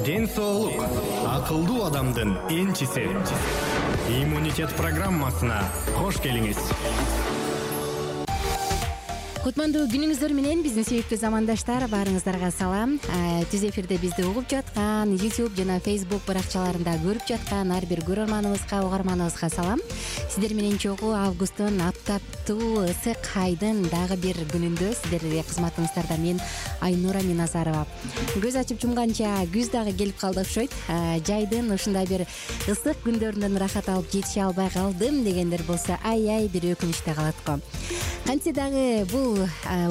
Ден соолук акылдуу адамдын энчиси. Иммунитет программасына кош келиңиз. Кутмандуу күнүңүздөр менен биздин сүйүктүү замандаштар, баарыңыздарга салам. Түз эфирде бизди угуп жаткан YouTube жана Facebook баракчаларында көрүп жаткан ар бир көрөрманыбызга, угарманыбызга салам. Сиздер менен чогуу августтун аптаптуу ысык айдын дагы бир күнүндө сиздерге кызматыңыздарда мен Айнура Миназарова. Көз ачып жумганча күз дагы келип калды окшойт. Жайдын ушундай бир ысык күндөрүнөн рахат алып жетише албай калдым дегендер болсо ай бир өкүнүчтө калат го. Кантсе дагы бул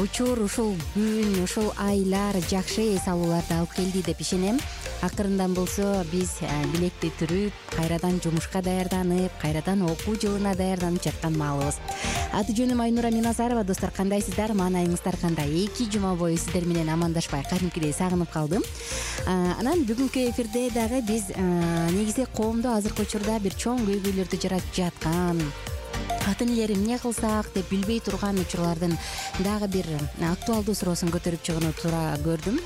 учур, ушул күн, ушул айлар жакшы эс алууларды алып келди деп ишенем. Акырындан болсо биз билекти түрүп, кайрадан жумушка даярданып, кайрадан окуу жылына даярданып жаткан маалыбыз. Аты жөнүм Айнура Миназарова. Достор, кандайсыздар? Маанайыңыздар кандай? 2 жума бою сиздер менен амандашпай кадимкидей сагынып калдым. Анан бүгүнкү эфирде дагы биз негизи коомдо азыркы учурда бир чоң көйгөйлөрдү жаратып жаткан, ата энелер эмне кылсак деп билбей турган учурлардын дагы бир актуалдуу суроосун көтөрүп чыгууну туура көрдүм.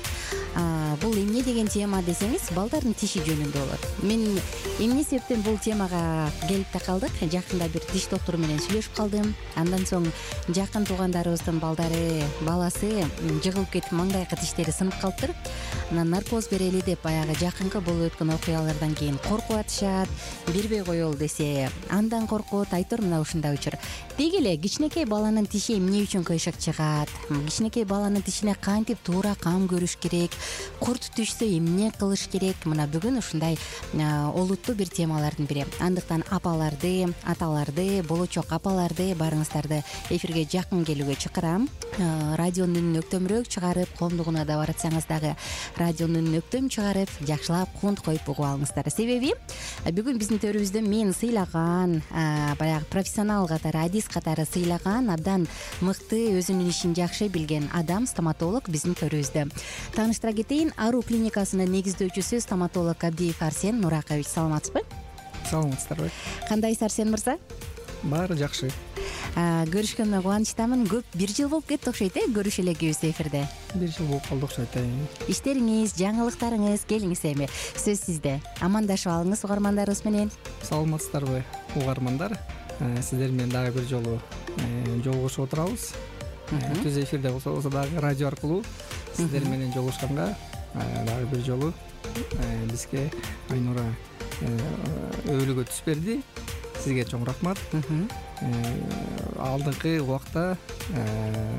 Бул эмне деген тема десеңиз, балдардын тиши жөнүндө болот. Мен эмне себептен бул темага келип такалдык? Жакында бир тиш доктору менен сүйлөшүп калдым. Андан соң жакын туугандарыбыздын баласы жыгылып кетип, маңдайкы тиштери сынып калыптыр. Анан наркоз берели деп баягы жакынкы болуп өткөн окуялардан кийин коркуп атышат. Бербей коелу десе андан коркут. Айтор мына ушундай учур. Деги эле кичинекей баланын тиши эмне үчүн кыйшык чыгат? Кичинекей баланын тишине кантип туура кам көрүш керек? Курт түшсө эмне кылыш керек? Мына бүгүн ушундай олуттуу бир темалардын бири. Андыктан апаларды, аталарды, болочок апаларды баарыңыздарды эфирге жакын келүүгө чакырам. Радионун өктөмүрөөк чыгарып, коомдугуна да баратсаңыз дагы радионун өктөм чыгарып, жакшылап кунт коюп угуп алыңыздар. Себеби бүгүн биздин төрүбүздө мен сыйлаган, баягы профессионал катары, адис катары сыйлаган, абдан мыкты, өзүнүн ишин жакшы билген адам, стоматолог биздин төрүбүздө. Тааныштыра кетейин, Ару клиникасынын негиздөөчүсү стоматолог Абдиев Арсен Нуракович. Саламатсызбы? Саламатсыздарбы? Кандайсыз, Арсен мырза? Баары жакшы. Көрүшкөнүмө кубанычтамын. Көп 1 жыл болуп кетти окшойт, көрүшө элекебиз эфирде. 1 жыл болуп калды окшойт. Иштериңиз, жаңылыктарыңыз, келиңиз эми. Сөз сизде. Амандашып алыңыз угармандарыбыз менен. Саламатсыздарбы, угармандар? Сиздер менен дагы бир жолу жолугушуп отурабыз. Түз эфирде болсо дагы радио аркылуу сиздер менен жолугушканга дагы бир жолу бизге Айнура өбөлгө түс берди. Сизге чоң рахмат. Алдыңкы убакта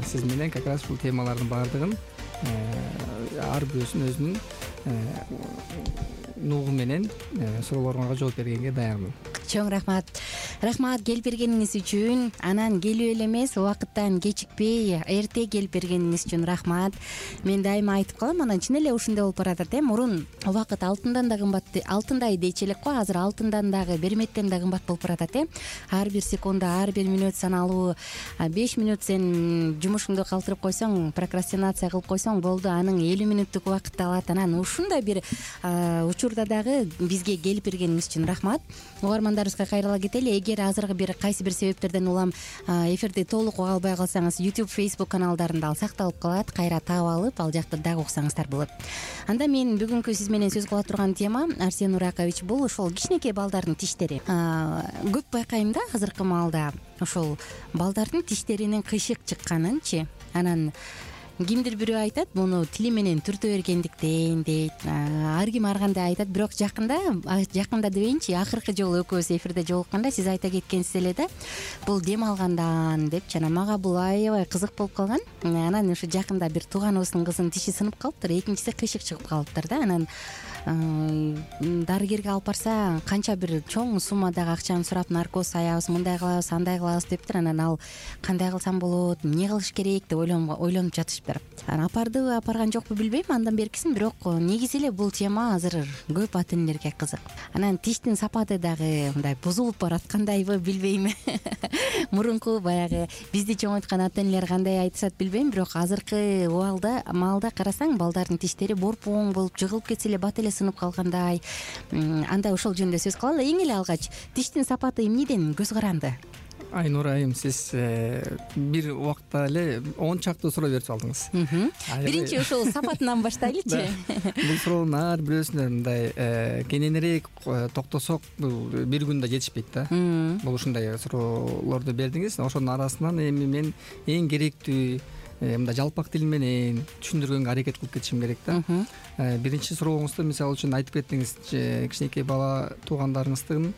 сиз менен как раз бул темалардын баардыгын ар бирөөсүн өзүнүн нугу менен суроолоруңарга жооп бергенге даярмын. Чоң рахмат. Рахмат келип бергениңиз үчүн. Анан келип эле эмес, убакыттан кечикпей, эрте келип бергениңиз үчүн рахмат. Мен дайыма айтып калам, анан чын эле ушундай болуп баратат. Мурун убакыт алтындан да кымбат, алтындай дейчи элек го, азыр алтындан дагы, берметтен да кымбат болуп баратат. Ар бир секунда, ар бир мүнөт саналуу. 5 мүнөт сен жумушуңду калтырып койсоң, прокрастинация кылып койсоң болду, анын 50 мүнөттүк убакытты алат. Анан ушундай бир учурда дагы бизге келип бергениңиз үчүн рахмат. Угармандарыбызга кайрыла кетели. Эгер азыркы бир кайсы бир себептерден улам эфирди толук уга албай калсаңыз, YouTube, Facebook каналдарында ал сакталып калат. Кайра таап алып, ал жакта дагы уксаңыздар болот. Анда мен бүгүнкү сиз менен сөз кыла турган тема, Арсен Нуракович, бул ошол кичинекей балдардын тиштери. Көп байкайм да азыркы маалда ошол балдардын тиштеринин кыйшык чыкканынчы. Анан кимдир бирөө айтат, муну тили менен түртө бергендиктен дейт. Ар ким ар кандай айтат, бирок жакында дебейинчи, акыркы жолу экөөбүз эфирде жолукканда сиз айта кеткенсиз эле да, бул дем алгандан деп, жана мага бул аябай кызык болуп калган. Анан ушу жакында бир тууганыбыздын кызынын тиши сынып калыптыр, экинчиси кыйшык чыгып калыптыр да. Анан дарыгерге алып барса, канча бир чоң суммадагы акчаны сурап, наркоз аябыз, мындай кылабыз, андай кылабыз дептир. Анан ал кандай кылсам болот, эмне кылыш керек деп ойлонуп жатышыптыр. Анан апардыбы, апарган жокпу билбейм, андан беркисин, бирок негизи эле бул тема азыр көп ата энелерге кызык. Анан тиштин сапаты дагы мындай бузулуп бараткандайбы билбейм. Мурунку баягы бизди чоңойткан ата энелер кандай айтышат билбейм, бирок азыркы маалда карасаң, балдардын тиштери борпоң болуп, жыгылып кетсе эле бат эле сынып калгандай. Анда ошол жөнүндө сөз кылалы. Эң эле алгач, тиштин сапаты эмнеден көз каранды? Айнура айым, сиз бир убакта эле 10 чакты суроо берип алдыңыз. Биринчи ошол сапатынан баштайлычы. Бул суроонун ар бирөөсүнө мындай кененирээк токтосок, бул бир күндө жетишпейт да. Бул ушундай суроолорду бердиңиз. Ошонун арасынан эми мен эң керектүү мындай жалпак тил менен түшүндүргөнгө аракет кылып кетишим керек да. Биринчи сурооңузда мисалы үчүн айтып кеттиңиз, кичинекей бала туугандарыңыздын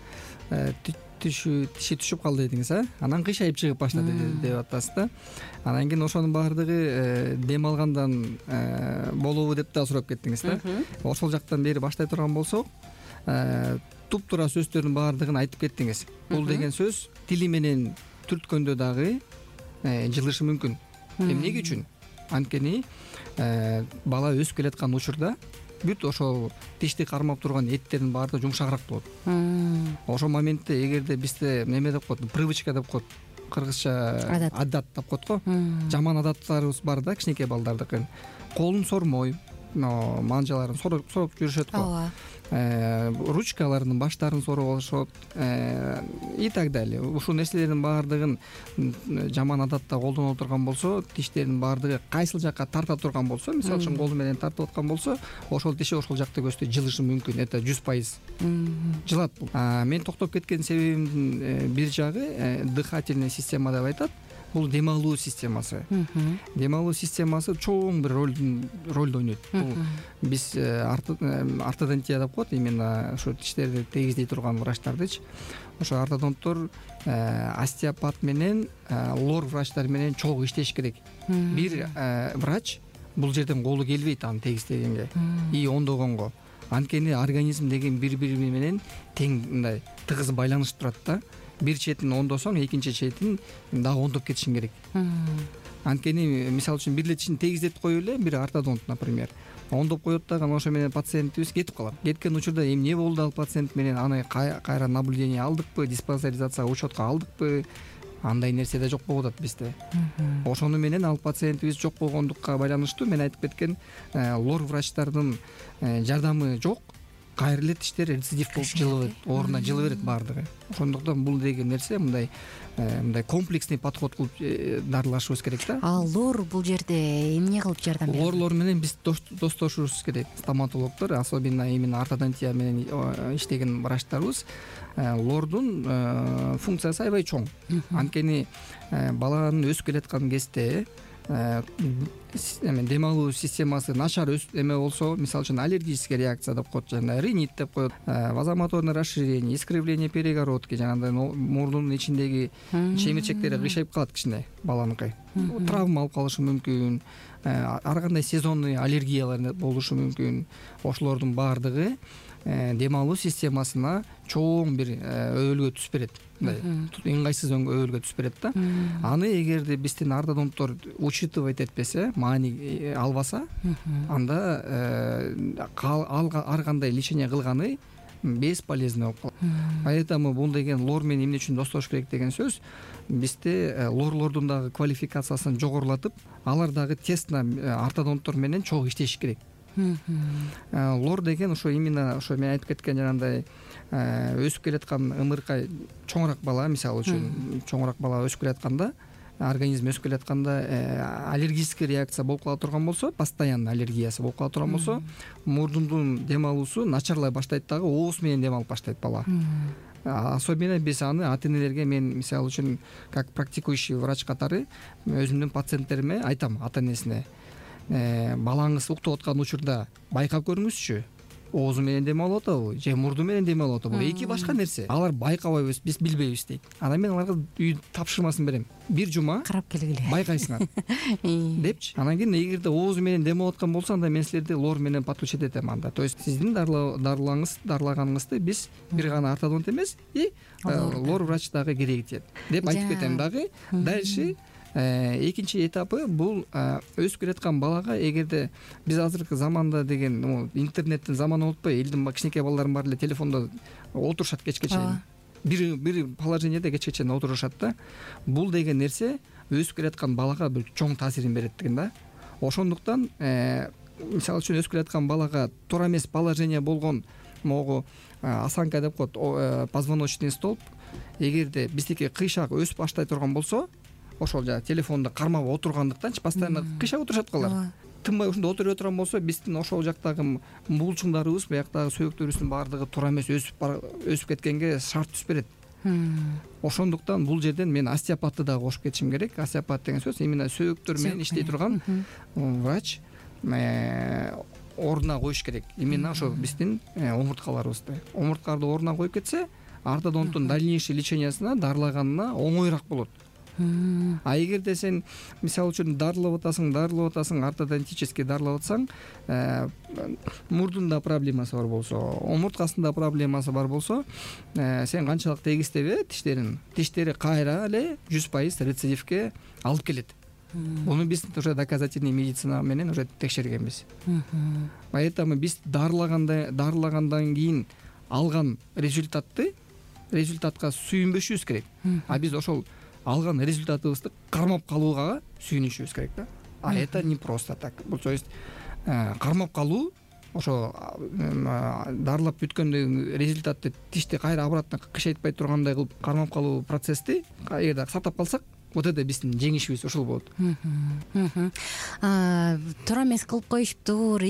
тиши түшүп калды дедиңиз, анан кыйшайып чыгып баштады деп атасыз да. Анан кийин ошонун баардыгы дем алгандан болобу деп да сурап кеттиңиз да. Ошол жактан бери баштай турган болсок, туптуура сөздөрдүн баардыгын айтып кеттиңиз. Бул деген сөз тили менен түрткөндө дагы жылышы мүмкүн. Эмне үчүн? Анткени бала өсүп келаткан учурда бүт ошол тишти кармап турган эттердин баардыгы жумшагыраак болот. Ошол моментте эгерде бизде неме деп коет, привычка деп коет, кыргызча адат деп коет го. Жаман адаттарыбыз бар да, кичинекей балдардыкы. Колун сормой, манжаларын сороп жүрүшөт го. Ручкаларынын баштарын сороп алышат и так далее. Ушул нерселердин баардыгын жаман адатта колдоно турган болсо, тиштердин баардыгы кайсыл жакка тарта турган болсо, мисалы үчүн колу менен тартып аткан болсо, ошол тиши ошол жакта көздөй жылышы мүмкүн. Это 100% жылат бул. Мен токтоп кеткен себебимдин бир жагы дыхательная система деп айтат. Бул дем алуу системасы. Дем алуу системасы чоң бир ролду ойнойт. Бул биз ортодонтия деп коет, именно ошо тиштерди тегиздей турган врачтардычы. Ошо ортодонттор остеопат менен лор врачтар менен чогуу иштеш керек. Бир врач бул жерден колу келбейт аны тегиздегенге и ондогонго. Анткени организм деген бири-бири менен тең мындай тыгыз байланышып турат да. Бир четин ондосоң, экинчи четин дагы ондоп кетишиң керек. Анткени мисалы үчүн бир эле тишин тегиздетип коюп эле бир ортодонт, например, ондоп коет дагы, ошо менен пациентибиз кетип калат. Кеткен учурда эмне болду ал пациент менен, аны кайра наблюдение алдыкпы, диспансеризация учетко алдыкпы, андай нерсе да жок болуп атат бизде. Ошону менен ал пациентибиз жок болгондукка байланыштуу мен айтып кеткен лор врачтардын жардамы жок. Кайра эле тиштер рецидив болуп жылыбайт, ордуна жылы берет баардыгы. Ошондуктан бул деген нерсе мындай комплексный подход кылып дарылашыбыз керек да. Лор бул жерде эмне кылып жардам берет? Лорлор менен биз достошубуз керек. Стоматологдор, особенно именно ортодонтия менен иштеген врачтарыбыз, лордун функциясы аябай чоң. Анткени баланын өсүп келаткан кезде дем алуу системасы начар эме болсо, мисалы үчүн аллергическая реакция деп коет, жана ринит деп коет, вазомоторное расширение, искривление перегородки, жанагындай мурдунун ичиндеги чемирчектери кыйшайып калат кичине баланыкы. Травма алып калышы мүмкүн, ар кандай сезонный аллергиялар болушу мүмкүн. Ошолордун баардыгы дем алуу системасына чоң бир өбөлгө түзүп берет. Ыңгайсыз өбөлгө түзүп берет да. Аны эгерде биздин ортодонттор учитывать этпесе, маани албаса, анда ар кандай лечение кылганы бесполезно болуп калат. Поэтому бул деген лор менен эмне үчүн достош керек деген сөз, бизде лорлордун дагы квалификациясын жогорулатып, алар дагы тесно ортодонттор менен чогуу иштеш керек. Лор деген ошо именно ошо мен айтып кеткен жанагындай өсүп келаткан ымыркай чоңураак бала, мисалы үчүн чоңураак бала өсүп келатканда, организм өсүп келатканда аллергический реакция болуп кала турган болсо, постоянно аллергиясы болуп кала турган болсо, мурдундун дем алуусу начарлай баштайт дагы, ооз менен дем алып баштайт бала. Особенно биз аны ата-энелерге, мен мисалы үчүн как практикующий врач катары өзүмдүн пациенттериме айтам, ата-энесине, балаңыз уктап аткан учурда байкап көрүңүзчү, оозу менен дем алып атабы же мурду менен дем алып атабы, эки башка нерсе. Алар байкабайбыз, биз билбейбиз дейт. Анан мен аларга үй тапшырмасын берем. Бир жума карап келгиле, байкайсыңар депчи. Анан кийин эгерде оозу менен дем алып аткан болсо, анда мен силерди лор менен подключить этем анда. То есть сиздин дарылаганыңызды биз бир гана ортодонт эмес, и лор врач дагы керек тиет деп айтып кетем дагы. Дальше экинчи этапы бул өсүп келаткан балага, эгерде биз азыркы заманда деген интернеттин заманы болуп атпайбы, элдин кичинекей балдардын баары эле телефондо отурушат кечке чейин. Бир положениеде кечке чейин отурушат да. Бул деген нерсе өсүп келаткан балага бир чоң таасирин берет деген да. Ошондуктан мисалы үчүн өсүп келаткан балага туура эмес положение болгон могу осанка деп коет, позвоночный столб. Эгерде биздики кыйшак өсүп баштай турган болсо, ошол жанагы телефонду кармап отургандыктанчы постоянно кыйшак отурушат калар. Тынбай ушунда отуруп турган болсо, биздин ошол жактагы булчуңдарыбыз, бияктагы сөйөктөрүбүздүн баардыгы туура эмес өсүп кеткенге шарт түшүп берет. Ошондуктан бул жерден мен остеопатты дагы кошуп кетишим керек. Остеопат деген сөз именно сөйөктөр менен иштей турган врач ордуна коюш керек. Именно ошо биздин омурткаларыбызды. Омурткаларды ордуна коюп кетсе, ортодонттун дальнейший лечениясына, дарылаганына оңоюраак болот. А эгерде сен мисалы үчүн дарылап атасың, ортодонтический дарылап атсаң, мурдунда проблемасы бар болсо, омурткасында проблемасы бар болсо, сен канчалык тегистебе тиштери кайра эле 100% рецидивке алып келет. Буну биз уже доказательный медицина менен уже текшергенбиз. Поэтому биз дарылагандан кийин алган результатка сүйүнбөшүбүз керек. А биз ошол алган результатыбызды кармап калууга сүйүнүшүбүз керек да. А это не просто так. Бул то есть кармап калуу, ошо дарылап бүткөндөн результатты тишти кайра обратно кышайтпай тургандай кылып кармап калуу процессти эгерде сактап калсак, вот это биздин жеңишибиз ошол болот. Туура эмес кылып коюшуптур,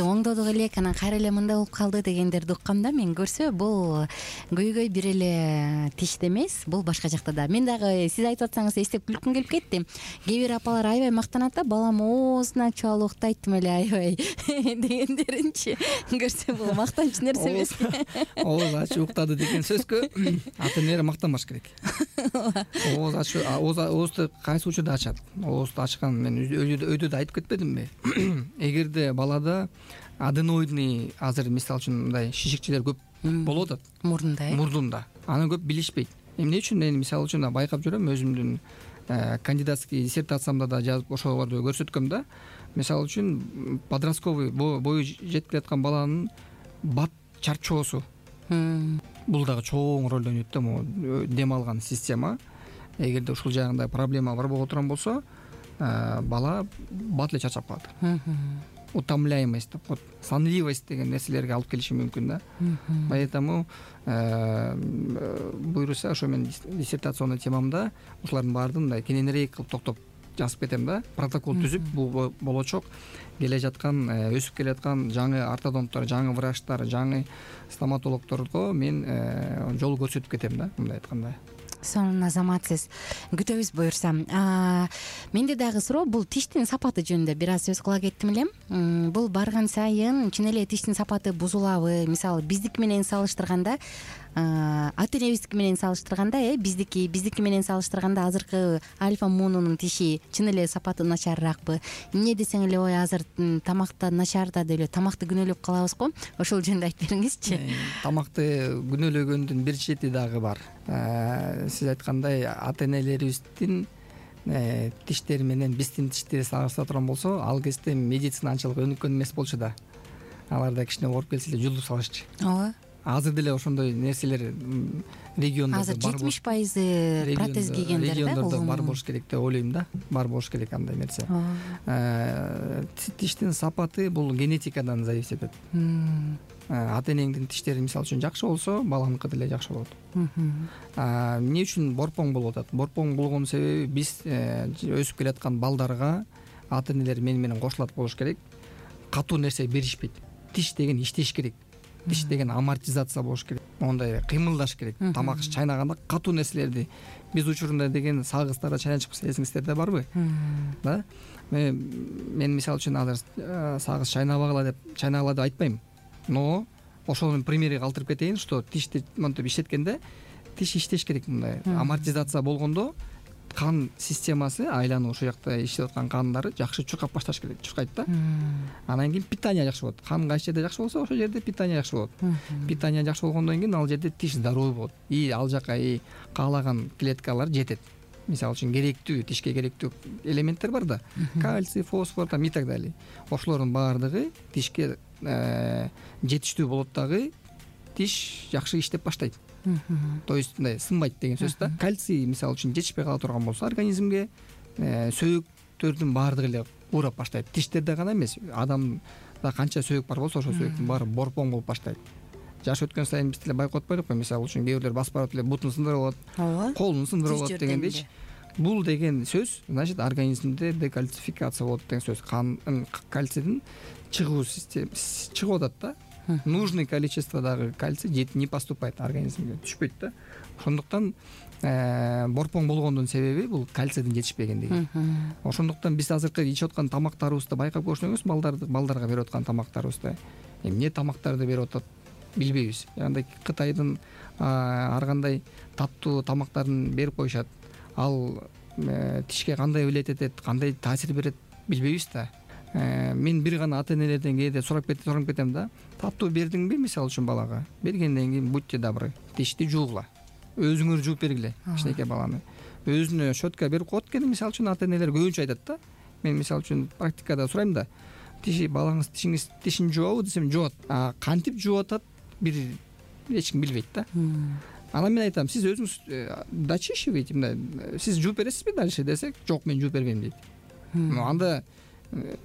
оңдодук элек, анан кайра эле мындай болуп калды дегендерди уккам да мен. Көрсө бул көйгөй бир эле тиште эмес, бул башка жакта да. Мен дагы сиз айтып атсаңыз эстеп күлкүм келип кетти. Кээ бир апалар аябай мактанат да, балам оозун ачып алып уктайт тим эле аябай дегендеринчи. Көрсө бул мактанч нерсе эмеспи? Ооз ачып уктады деген сөзгө ата эне мактанбаш керек. Ооз ачып оозду кайсы учурда ачат? Оозду ачкан мен өйдө да айтып кетпедимби? Эгерде балада аденоидный, азыр мисалы үчүн мындай шишикчелер көп болуп атат мурдунда, аны көп билишпейт. Эмне үчүн мен мисалы үчүн байкап жүрөм, өзүмдүн кандидатский диссертациямда да жазып ошолорду көрсөткөм да. Мисалы үчүн подростковый бою жетип келаткан баланын бат чарчоосу бул дагы чоң роль ойнойт да, могу дем алган система. Эгерде ушул жагында проблема бар боло турган болсо, бала бат эле чарчап калат. Утомляемость деп коет, сонливость деген нерселерге алып келиши мүмкүн да. Поэтому буюрса, ошо мен диссертационный темамда ушулардын баардыгын мындай кененирээк кылып токтоп жазып кетем да. Протокол түзүп, бул болочок келе жаткан, өсүп келе жаткан жаңы ортодонттор, жаңы врачтар, жаңы стоматологдорго мен жол көрсөтүп кетем да, мындай айтканда. Сонун азаматсыз. Күтөбүз буюрса. Менде дагы суроо, бул тиштин сапаты жөнүндө бир аз сөз кыла кеттим элем. Бул барган сайын чын эле тиштин сапаты бузулабы? Мисалы биздики менен салыштырганда, ата энебиздики менен салыштырганда, биздики менен салыштырганда азыркы альфа мунунун тиши чын эле сапаты начарыраакпы? Эмне десең эле, ой, азыр тамакта начар да деп эле тамакты күнөөлөп калабыз го. Ошол жөнүндө айтып бериңизчи. Тамакты күнөөлөгөндүн бир чети дагы бар. Сиз айткандай, ата энелерибиздин тиштери менен биздин тиштери салыштыра турган болсо, ал кезде медицина анчалык өнүккөн эмес болчу да. Аларда кичине ооруп келсе эле жулдуп салышчу. Ооба. Азыр деле ошондой нерселер региондордо азыр 70% протез кийгендер да, региондордо бар болуш керек деп ойлойм да. Бар болуш керек андай нерсе. Тиштин сапаты бул генетикадан зависит этет. Ата энеңдин тиштери мисалы үчүн жакшы болсо, баланыкы деле жакшы болот. Эмне үчүн борпоң болуп атат? Борпоң болгон себеби биз өсүп келаткан балдарга ата энелер менен кошулат болуш керек. Катуу нерсе беришпейт. Тиш деген иштеш керек. Тиш деген амортизация болуш керек. Мондай кыймылдаш керек. Тамак чайнаганда катуу нерселерди биз учурунда деген сагыздарда чайнашып эсиңиздерде барбы? Да? Мен мисалы үчүн азыр сагыз чайнабагыла деп айтпайм. Но ошонун примери калтырып кетейин, что тишти монтип иштеткенде тиш иштеш керек мындай. Амортизация болгондо кан системасы, айлануу ушул жакта иштеп аткан кандары жакшы чуркап башташ керек, чуркайт да. Анан кийин питание жакшы болот. Кан кайсы жерде жакшы болсо, ошол жерде питание жакшы болот. Питание жакшы болгондон кийин ал жерде тиш здоровый болот. Ал жака каалаган клеткалар жетет. Мисалы үчүн керектүү, тишке керектүү элементтер бар да. Кальций, фосфор и так далее. Ошолордун баардыгы тишке жетиштүү болот дагы, тиш жакшы иштеп баштайт. То есть мындай сынбайт деген сөз да. Кальций мисалы үчүн жетишпей кала турган болсо организмге, сөйөктөрдүн баардыгы эле уурап баштайт. Тиштерде гана эмес, адамда канча сөйөк бар болсо, ошол сөйөктүн баары борпоң болуп баштайт. жаш өткөн сайын биз деле байкап атпайдыкпы, мисалы үчүн кээ бирлер басып барып эле бутун сындырып алат, ооба, колун сындырып алат Жүз дегендейчи. Бул деген сөз значит организмде декальцификация болот деген сөз. Кальцийдин чыгуу системасы чыгып атат да. Нужный количестводагы кальций не поступает организмге, түшпөйт да. Ошондуктан борпоң болгондун себеби бул кальцийдин жетишпегендиги. Ошондуктан биз азыркы ичип аткан тамактарыбызды байкап көрсөңүз, балдарга берип аткан тамактарыбызды эмне тамактарды берип атат билбейбиз. Андай Кытайдын ар кандай таттуу тамактарын берип коюшат. Ал тишке кандай влиять этет, кандай таасир берет билбейбиз да. Мен бир гана ата-энелерден кээде сурап кетем да. Таттуу бердиңби, мисалы үчүн балага? Бергенден кийин будьте добры, тишти жуугула. Өзүңөр жууп бергиле кичинекей баланы. Өзүнө щетка берип коет экен, мисалы үчүн ата-энелер көбүнчө айтат да. Мен мисалы үчүн практикада сурайм да. Балаңыз тишин жуабы десем, жуат. Кантип жууп атат бир эч ким билбейт да. Анан мен айтам, сиз өзүңүз дочищиваете, сиз жууп бересизби дальше десек, жок, мен жууп бербейм дейт. Анда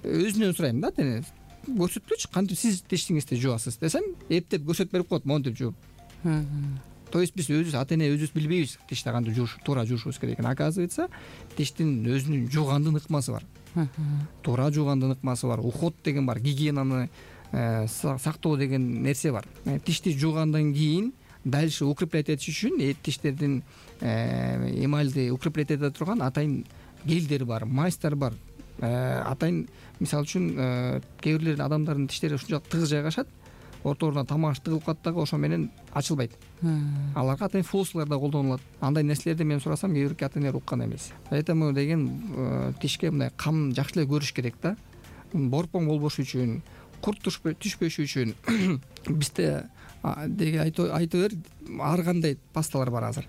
өзүнөн сурайм да, тени көрсөткүлөчү, кантип сиз тишиңизди жуасыз десем, эптеп көрсөтүп берип коет, монтип жууп. То есть биз өзүбүз ата-эне өзүбүз билбейбиз тишти кантип туура жуушубуз керекин. Оказывается, тиштин өзүнүн жуугандын ыкмасы бар. Туура жуугандын ыкмасы бар. Уход деген бар, гигиенаны сактоо деген нерсе бар. Тишти жуугандан кийин дальше укреплять этиш үчүн тиштердин эмальди укреплять эте турган атайын гелдер бар, мазьтар бар. Атайын мисалы үчүн кээ бирлер адамдардын тиштери ушунчалык тыгыз жайгашат, орторуна тамак тыгылып калат дагы, ошо менен ачылбайт. Аларга атайын флоссулар да колдонулат. Андай нерселерди мен сурасам, кээ бир ата-энелер уккан эмес. Поэтому деген тишке мындай кам жакшы эле көрүш керек да. Борпоң болбош үчүн, курт түшпөш үчүн бизде деги айтып бер, ар кандай пасталар бар азыр.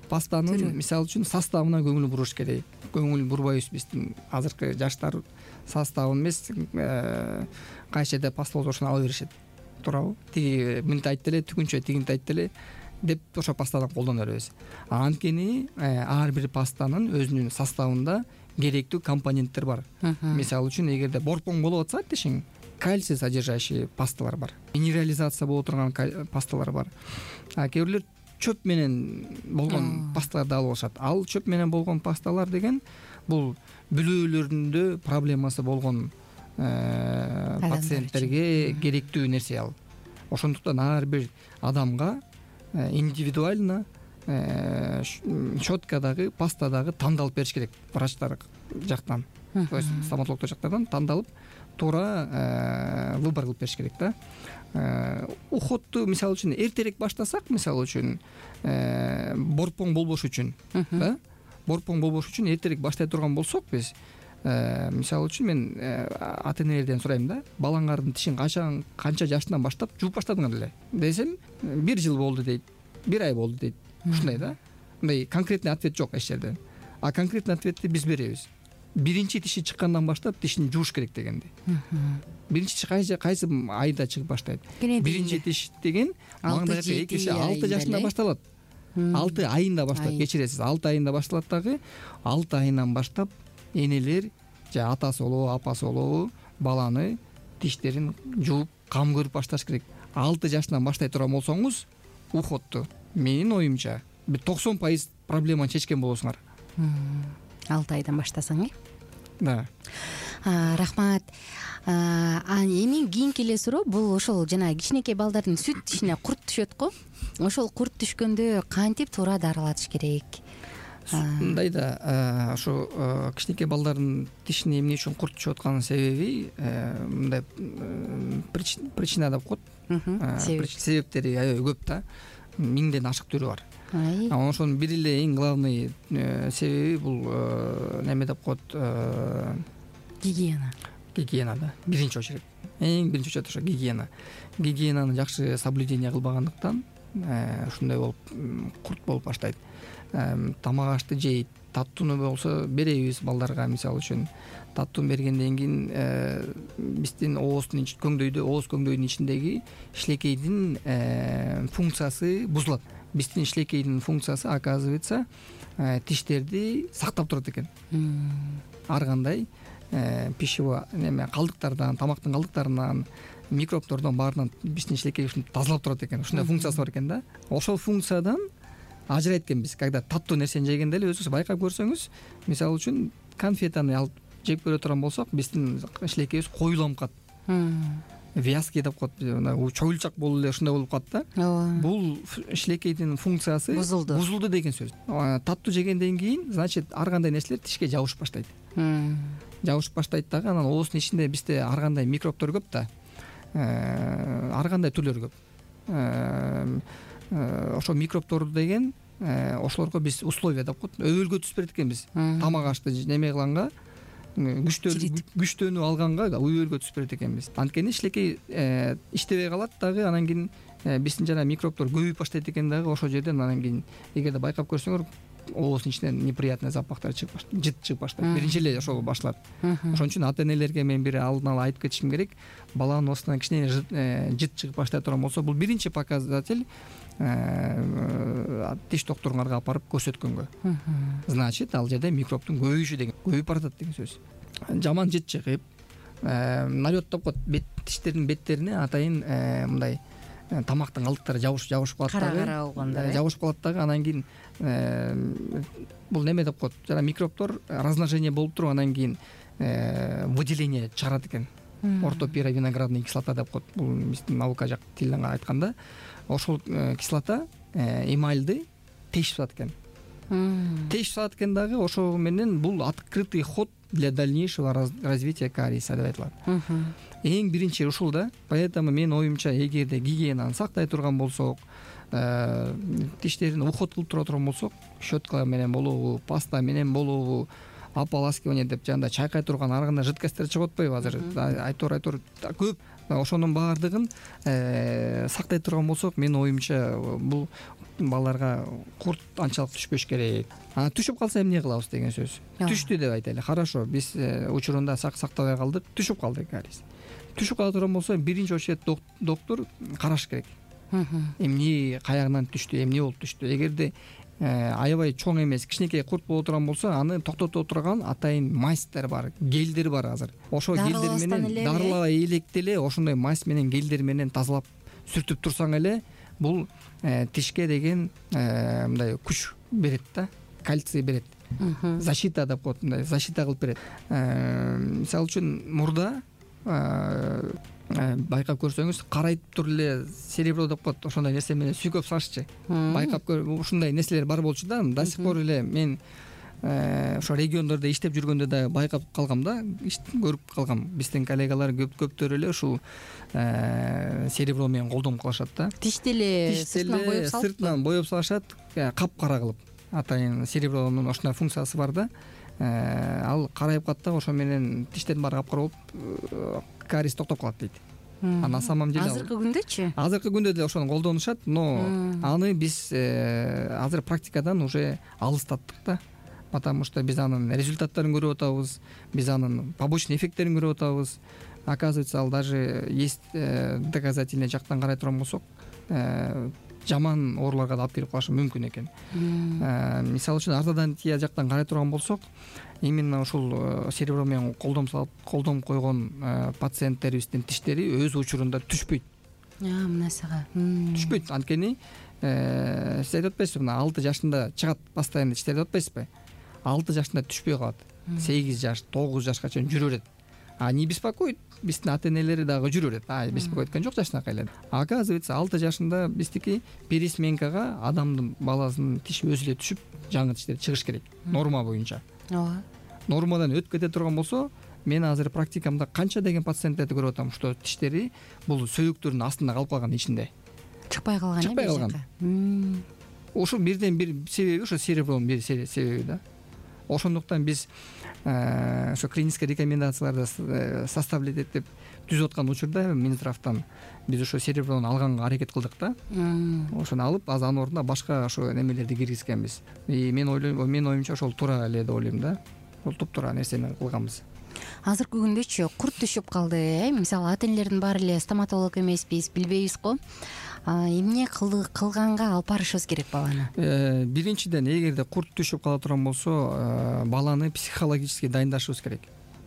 Пастанын мисалы үчүн составына көңүл буруш керек. Көңүл бурбайбыз биздин азыркы жаштар составын эмес, кайсы жерде паста болсо ошону ала беришет. Туурабы? Тиги мынтип айтты эле, түгүнчө тигинтип айтты эле деп ошо пастадан колдоно беребиз. Анткени ар бир пастанын өзүнүн составында керектүү компоненттер бар. Мисалы үчүн эгерде борпоң болуп атса тишиң, кальций содержащий пасталар бар. Минерализация боло турган пасталар бар. Кээ бирлер чөп менен болгон пасталарды алып алышат. Ал чөп менен болгон пасталар деген бул бүлөлөрүндө проблемасы болгон пациенттерге керектүү нерсе ал. Ошондуктан ар бир адамга индивидуально щеткадагы, пастадагы тандалып бериш керек врачтар жактан. То есть стоматологдор жактардан тандалып туура выбор кылып бериш керек да. Уходду мисалы үчүн эртерээк баштасак, мисалы үчүн борпоң болбош үчүн, да? Борпоң болбош үчүн эртерээк баштай турган болсок биз, мисалы үчүн мен ата-энелерден сурайм да, балаңардын тишин канча жашынан баштап жууп баштадыңар эле десем, 1 жыл болду дейт, 1 ай болду дейт. Ушундай да. Мындай конкретный ответ жок эч жерде. Конкретный ответти биз беребиз. Биринчи тиши чыккандан баштап тишин жууш керек дегенди. Биринчи тиш кайсы айда чыгып баштайт? Биринчи тиш деген маңдайга 6 жашында башталат. 6 айында баштап, кечиресиз, 6 айында башталат дагы. 6 айынан баштап энелер же атасы болобу, апасы болобу баланы тиштерин жууп, кам көрүп башташ керек. 6 жашынан баштай турган болсоңуз, уходду менин оюмча 90% проблеманы чечкен болосуңар. 6 айдан баштасаң, Да. Рахмат. Эми кийинки эле суроо бул ошол жана кичинекей балдардын сүт тишине курт түшөт го. Ошол курт түшкөндө кантип туура дарылатыш керек? Мындай да, ошо кичинекей балдардын тишине эмне үчүн курт түшүп атканын себеби мындай причина деп коет. Себептери аябай көп да. 1000ден ашык түрү бар. Ошонун бир эле эң главный себеби бул неме деп коет, гигиена. Гигиена да. Биринчи очередь. Эң биринчи очередь ошо гигиена. Гигиенаны жакшы соблюдение кылбагандыктан ушундай болуп курт болуп баштайт. Тамак ашты жейт, таттууну болсо беребиз балдарга, мисалы үчүн. Таттууну бергенден кийин биздин ооздун көңдөйдүн ичиндеги шилекейдин функциясы бузулат. Биздин шилекейдин функциясы, оказывается, тиштерди сактап турат экен. Ар кандай пищевой калдыктардан, тамактын калдыктарынан, микробдордон баарынан биздин шилекей ушинтип тазалап турат экен. Ушундай функциясы бар экен да. Ошол функциядан ажырайт экенбиз. Когда таттуу нерсени жегенде эле өзүңүз байкап көрсөңүз, мисалы үчүн конфетаны алып жеп көрө турган болсок, биздин шилекейибиз коюланып калат. Вязкий деп коет, чоюлчак болуп эле ушундай болуп калат да. Ооба. Бул шилекейдин функциясы бузулду деген сөз. Таттуу жегенден кийин, значит, ар кандай нерселер тишке жабышып баштайт. Жабышып баштайт дагы, анан оозунун ичинде бизде ар кандай микробдор көп да. Ар кандай түрлөр көп. Ошо микробдор деген ошолорго биз условия деп коет, өбөлгө түзүп берет экенбиз. Тамак ашты неме кылганга, күчтөнүү алганга өбөлгө түзүп берет экенбиз. Анткени шилекей иштебей калат дагы, анан кийин биздин жана микробдор көбөйүп баштайт экен дагы. Ошол жерден анан кийин эгерде байкап көрсөңөр, оозунун ичинен неприятный запахтар чыгып баштайт, жыт чыгып баштайт. Биринчи эле ошол башталат. Ошон үчүн ата-энелерге мен бир алдын ала айтып кетишим керек. Баланын оозунан кичине жыт чыгып баштай турган болсо, бул биринчи показатель тиш доктуруңарга апарып көрсөткөнгө. Значит, ал жерде микробдун көбөйүшү деген, көбөйүп баратат деген сөз. Жаман жыт чыгып, налет деп коет, тиштердин беттерине атайын мындай тамактын калдыктары жабышып калат дагы. Кара болгондо жабышып калат дагы. Анан кийин бул неме деп коет, жана микробдор размножение болуп туруп, анан кийин выделение чыгарат экен. Ортопировиноградный кислота деп коет. Бул биздин наука жак тилинен айтканда, ошол кислота эмальды тешип салат экен. Тешип салат экен дагы. Ошол менен бул открытый ход для дальнейшего развития кариеса деп айтылат. Эң биринчи ушул да. Поэтому мен оюмча, эгерде гигиенаны сактай турган болсок, тиштерин уход кылып тура турган болсок, щетка менен болобу, паста менен болобу, ополаскивание деп жанда чайкай турган ар кандай жидкосттер чыгып атпайбы азыр? Айтор көп. Ошонун баардыгын сактай турган болсок, менин оюмча бул балдарга курт анчалык түшпөш керек. Түшүп калса эмне кылабыз деген сөз. Түштү деп айтайлы. Хорошо, биз учурунда сактабай калдык, түшүп калды кариес. Түшүп кала турган болсо, биринчи очередь доктур караш керек. Эмне каягынан түштү, эмне болуп түштү. Эгерде аябай чоң эмес, кичинекей курт боло турган болсо, аны токтото турган атайын мазьтер бар, гелдер бар азыр. Ошол гелдер менен дарылабай электе эле ошондой мазь менен гелдер менен тазалап сүртүп турсаң эле, бул тишке деген мындай күч берет да, кальций берет. Защита деп коет, мындай защита кылып берет. Мисалы үчүн мурда байкап көрсөңүз, карайтып туруп эле серебро деп коет, ошондой нерсе менен сүйкөп салышчы. Байкап ушундай нерселер бар болчу да. До сих пор эле мен ошо региондордо иштеп жүргөндө да байкап калгам да, көрүп калгам. Биздин коллегалар көптөр эле ушул серебро менен колдом кылышат да. Тишти эле сыртынан боеп салышат, капкара кылып. Атайын серебронун ошондой функциясы бар да. Ал карайып калат да, ошо менен тиштердин баары капкара болуп, кариес токтоп калат дейт. На самом деле азыркы күндөчү? Азыркы күндө деле ошону колдонушат, но аны биз азыр практикадан уже алыстаттык да. Потому что биз анын результаттарын көрүп атабыз, биз анын побочный эффекттерин көрүп атабыз. Оказывается, ал даже есть доказательный жактан карай турган болсок, жаман ооруларга да алып келип калышы мүмкүн экен. Мисалы үчүн ортодонтия жактан карай турган болсок, именно ушул серебро менен колдом койгон пациенттерибиздин тиштери өз учурунда түшпөйт. Мынасыга түшпөйт. Анткени сиз айтып атпайсызбы, 6 жашында чыгат постоянно тиштер деп атпайсызбы? 6 жашында түшпөй калат. 8 жаш, 9 жашка чейин жүрө берет. Не беспокоит, биздин ата-энелери дагы жүрө берет. Беспокоит экен жок жашынакай эле. Оказывается, 6 жашында биздики пересменкага адамдын баласынын тиши өзү эле түшүп, жаңы тиштер чыгыш керек. Норма боюнча. Ооба. Нормадан өтүп кете турган болсо, мен азыр практикамда канча деген пациенттерди көрүп атам, что тиштери бул сөйүктөрдүн астында калып калган, ичинде. Чыкпай калган. Ошол бирден бир себеби ошо серебронун бир себеби да. Ошондуктан биз ошо клинический рекомендацияларды составлять этип түзүп аткан учурда Минздравтан биз ошо сереброну алганга аракет кылдык да. Ошону алып, анын ордуна башка ошо немелерди киргизгенбиз. Мен оюмча ошол туура эле деп ойлойм да. Бул туптуура нерсени кылганбыз. Азыркы күндөчү курт түшүп калды. Мисалы ата-энелердин баары эле стоматолог эмеспиз, билбейбиз го. Эмне кылганга алып барышыбыз керек баланы? Биринчиден, эгерде курт түшүп кала турган болсо, баланы психологически дайындашыбыз керек.